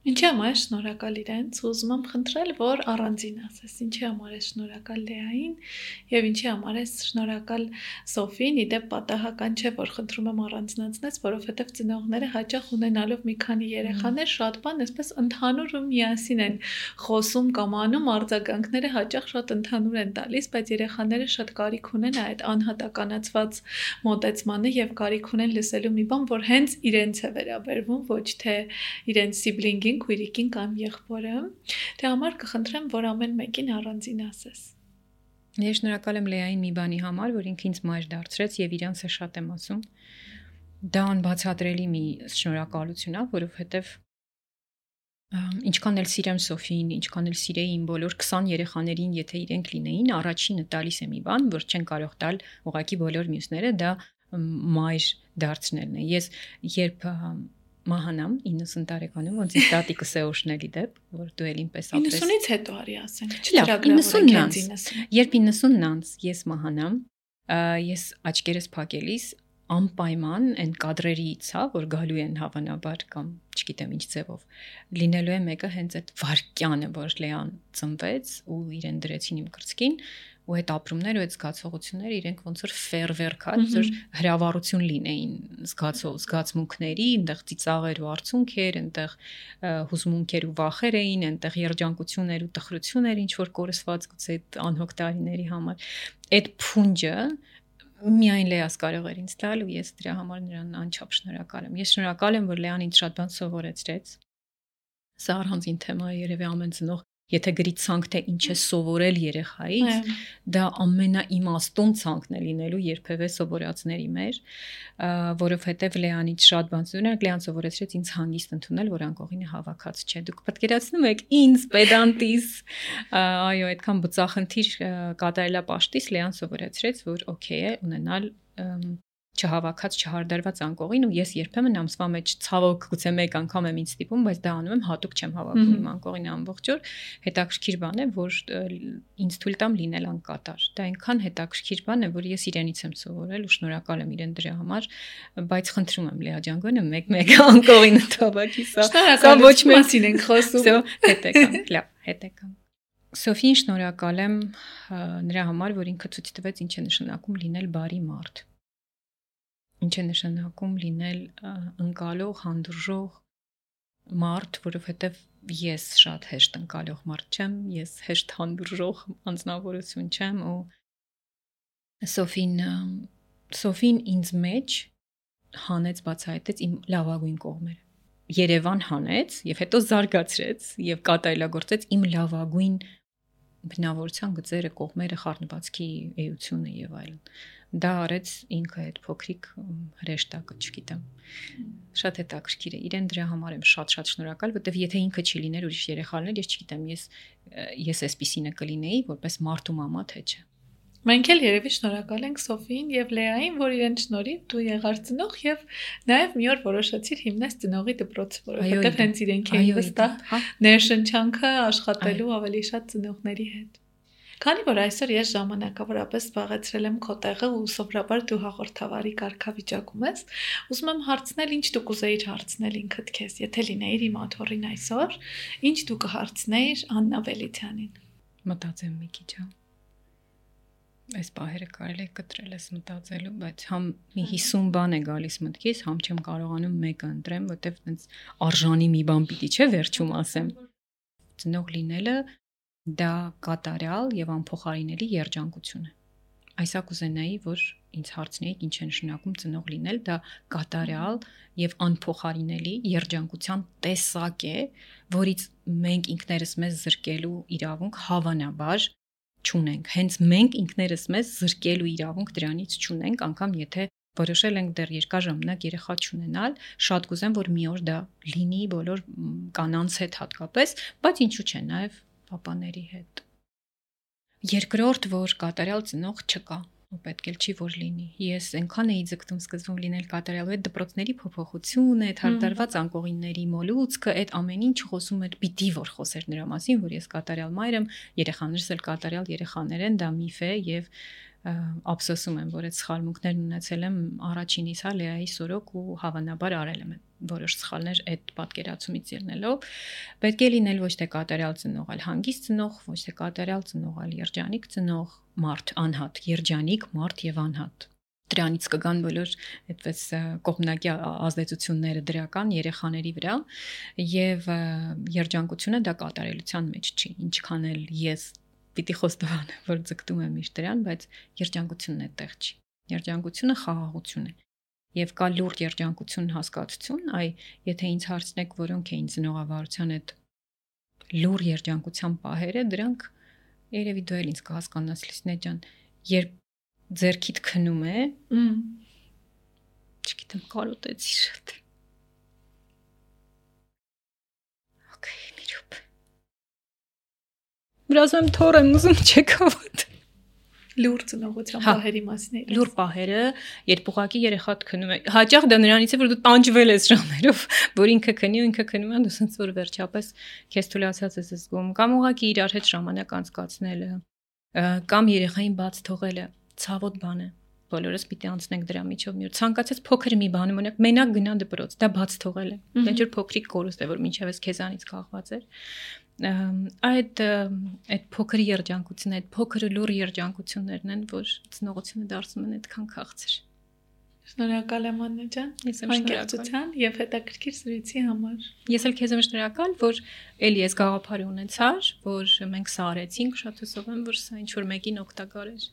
Ինչի համար ես շնորհակալ իրենց, ուզում եմ խնդրել, որ առանձին ասես, ինչի համար ես շնորհակալ Լեային եւ ինչի համար ես շնորհակալ Սոֆին, իդեպ պատահական չէ, որ խնդրում եմ առանձնացնես, որովհետեւ ծնողները հաճախ ունենալով մի քանի երեխաներ շատ բան այսպես ընդհանուր ու միասին են խոսում կամ անում, արձագանքները հաճախ շատ ընդհանուր են տալիս, բայց երեխաները շատ կարիք ունեն այդ անհատականացված մոտեցմանը եւ կարիք ունեն լսելու մի բան, որ հենց իրենց է վերաբերվում, ոչ թե իրենց սիբլինգի հայրին, քույրիկին կամ եղբորը, դե համար կխնդրեմ, որ ամեն մեկին առանձին ասես։ Ես շնորհակալ եմ Լեային մի բանի համար, որ ինքը ինձ մայր դարձրեց եւ իրանց է շատ եմ ասում։ Դա անբացատրելի մի շնորհակալություն է, որովհետեւ ինչքան էլ սիրեմ Սոֆին, ինչքան էլ սիրեի իմ բոլոր քսան երեխաներին, եթե իրենք լինեին, առաջինը տալիս է մի բան, որ չեն կարող տալ ուղղակի բոլոր մյուսները, դա մայր դարձնելն է։ Ես երբ մահանամ իննսուն տարեկանում, ոնց ինձ տատիկս է օշնելի դեպ, որ դու էլ ինպես ապրես։ իննսունից հետո արի ասենք, չծրագրավորենք իննսուն։ Երբ իննսունն անց ես մահանամ, ես աչքերս փակելիս անպայման այն կադրերից, հա, որ գալու են հավանաբար կամ չգիտեմ ինչ ձևով, լինելու է մեկը հենց այդ վարկյանը, որ Լեան ծնվեց ու իրեն դրեցին իմ կրծքին, ու այդ ապրումները ու այդ զգացողությունները իրենք ոնց որ ֆերվերք, հա, ոնց որ հրավառություն լինեին զգացող զգացմունքների, այնտեղ ծիծաղեր ու արցունքեր, այնտեղ հուզմունքեր ու վախեր էին, այնտեղ երջանկություններ ու տխրություններ, ինչ որ կորսված գուցե այդ անհոգ տարիների համար։ Այդ փունջը միայն Լեաս կարող էր ինձ տալ ու ես դրա համար նրան անչափ շնորհակալ եմ։ Ես շնորհակալ եմ, որ Լեան ինձ շատ բան սովորեցրեց։ Սա առանձին թեմա է, երևի ամեն ծնող, եթե գրի ցանկ թե ինչ է սովորել երեխայից, դա ամենաիմաստուն ցանկն է լինելու երբևէ սովորածների մեջ, որովհետև Լեանից շատ բան սովորել, Լեան սովորեցրեց ինձ հանգիստ ընդունել, որ անկողինը հավաքած չէ։ Դուք պատկերացնում եք ինձ պետանտիս, այո, այդքան բծախնդիր կատարելապաշտից Լեան սովորեցրեց, որ օքեյ է ունենալ չհավաքած, չհարդարված անկողին ու ես երբեմն ամսվա մեջ ցավոք գուցե մեկ անգամ եմ ինձ ստիպում, բայց դա անում եմ հատուկ չեմ հավաքում իմ անկողին ամբողջ օր, հետաքրքիր բան է, որ ինձ թույլ տամ լինել անկատար։ Դա այնքան հետաքրքիր բան է, որ ես իրենից եմ սովորել ու շնորհակալ եմ իրեն դրա համար, բայց խնդրում եմ Լեա ջան, գոնե մեկ-մեկ անկողին թողակի սա։ Սա ոչ մասին ենք խոսում։ Հետ եկամ, լավ, հետ եկամ։ Սոֆին շնորհակալ եմ նրա համար, որ ինքը ցույց տվեց ինչ է նշանակում լինել բարի մարդ։ Ինչ է նշանակում լինել ընկալող, հանդուրժող մարդ, որովհետև ես շատ հեշտ ընկալող մարդ չեմ, ես հեշտ հանդուրժող անձնավորություն չեմ ու Սոֆին Սոֆին ինձ մեջ հանեց, բացահայտեց իմ լավագույն կողմերը։ Երևան հանեց եւ հետո զարգացրեց եւ կատարելագործեց իմ լավագույն բնավորության գծերը, կողմերը, խառնվածքի էությունը եւ այլն։ Դա արեց ինքը այդ փոքրիկ հրեշտակը, չգիտեմ։ Շատ հետաքրքիր է։ Իրեն դրա համար եմ շատ-շատ շնորհակալ, որտեվ եթե ինքը չի լիներ ուրիշ երեխաներ, ես չգիտեմ, ես ես էսպիսինը կլինեի, որպես մարդ ու մամա, թե չէ։ Մենք էլ երևի շնորհակալ ենք Սոֆին եւ Լեային, որ իրեն շնորհիվ դու եղար ծնող եւ նաեւ մի օր որոշեցիր հիմնես ծնողի դպրոցը, որովհետեւ հենց իրենք էին վստահ ներշնչանքը աշխատելու ավելի շատ ծնողների հետ։ Քանի որ այսօր ես ժամանակավորապես զբաղեցրել եմ քո տեղը ու սովորաբար դու հաղորդավարի կարգավիճակում ես, ուզում եմ հարցնել, ինչ դու կուզեիր հարցնել ինքդ քեզ, եթե լինեիր իմ աթոռին այսօր, ինչ դու կհարցնեիր Աննա Վելիցյանին։ Մտածեմ մի քիչ, հա։ Այս պահերը կարելի է կտրել ես մտածելու, բայց համ մի հիսուն բան է գալիս մտքից, համ չեմ կարողանում մեկը ընտրեմ, որտեվ այնց արժանի մի բան պիտի չէ վերջում ասեմ։ Ծնող լինելը դա կատարյալ եւ անփոխարինելի երջանկություն է։ Այսա կուզենայի, որ ինձ հարցնեիք ինչ է նշանակում ծնող լինել, դա կատարյալ եւ անփոխարինելի երջանկության տեսակ է, որից մենք ինքներս մեզ զրկելու իրավունք հավանաբար չունենք։ Հենց մենք ինքներս մեզ զրկելու իրավունք դրանից չունենք, անգամ եթե որոշել ենք դեռ երկար ժամանակ երեխա չունենալ, շատ կուզեմ, որ մի օր դա լինի բոլոր կանանց հետ հատկապես, բայց ինչու՞ չէ, նաեւ պապաների հետ։ Երկրորդ, որ կատարյալ ծնող չկա, ու պետք էլ չի որ լինի։ Ես այնքան էի ձգտում սկզբում լինել կատարյալ, այդ դպրոցների փոփոխությունը, այդ հարտարված անկողինների մոլուցքը, այդ ամեն ինչ խոսում էր, պիտի որ խոսեր նրա մասին, որ ես կատարյալ մայր եմ, երեխաներս էլ կատարյալ երեխաներ են, դա միֆ է եւ ափսոսում եմ, որ այդ սխալմունքներն ունեցել եմ առաջինից, հա, Լեայի սորոք ու հավանաբար արել եմ որոշ սխալներ այդ պատկերացումից ելնելով, պետք է լինել ոչ թե կատարյալ ծնող, այլ հանգիստ ծնող, ոչ թե կատարյալ ծնող, այլ երջանիկ ծնող, մարդ, անհատ, երջանիկ, մարդ եւ անհատ։ Դրանից կգան բոլոր այդպես կողմնակի ազդեցությունները դրական երեխաների վրա եւ երջանկությունը դա կատարելության մեջ չի, ինչքան էլ ես պիտի խոստովանեմ, որ ձգտում եմ միշտ դրան, բայց երջանկությունն այդտեղ չի։ Երջանկությունը խաղաղություն է։ Եվ կա լուրջ երջանկություն հասկացություն, այ եթե ինձ հարցնեք, որոնք էին ծնողավարության այդ լուրջ երջանկության պահերը, դրանք երևի դու էլ ինձ կհասկանաս Լուսինե ջան, երբ ձերքիդ քնում է, չգիտեմ, կարոտեցի շատ։ Okay, մի րոպե։ Վրազում թոր եմ ուզում չեք հավատ։ Լուրջ ծնողության պահերի մասին։ Լուր պահերը, երբ ուղակի երեխադ քնում է, հաճախ դա նրանից է, որ դու տանջվել ես ժամերով, որ ինքը քնի ու ինքը քնում է, դու ասես որ վերջապես քեզ թույլացած ես զգում, կամ ուղակի իրար հետ ժամանակ անցկացնելը, կամ երեխային բաց թողելը, ցավոտ բան է։ Բոլորս պիտի անցնենք դրա միջով մի օր։ Ցանկացած փոքր մի բան ունեք, մենակ գնա դպրոց, դա բաց թողել է։ Ինչ որ փոքրիկ կորուստ է, որ մինչև ես քեզանից կախված էր։ Այդ այդ փոքր երջանկությունը, այդ փոքր լուր երջանկություններն են, որ ծնողությունը դարձնում են այդքան քաղցր։ Շնորհակալ եմ Աննա ջան, անկեղծության եւ հետաքրքիր զրույցի համար։ Ես էլ քեզ եմ շնորհակալ, որ էլի ես գաղափար ունեցար, որ մենք սա արեցինք, շատ հուսով եմ, որ սա ինչ որ մեկին օգտակար էր։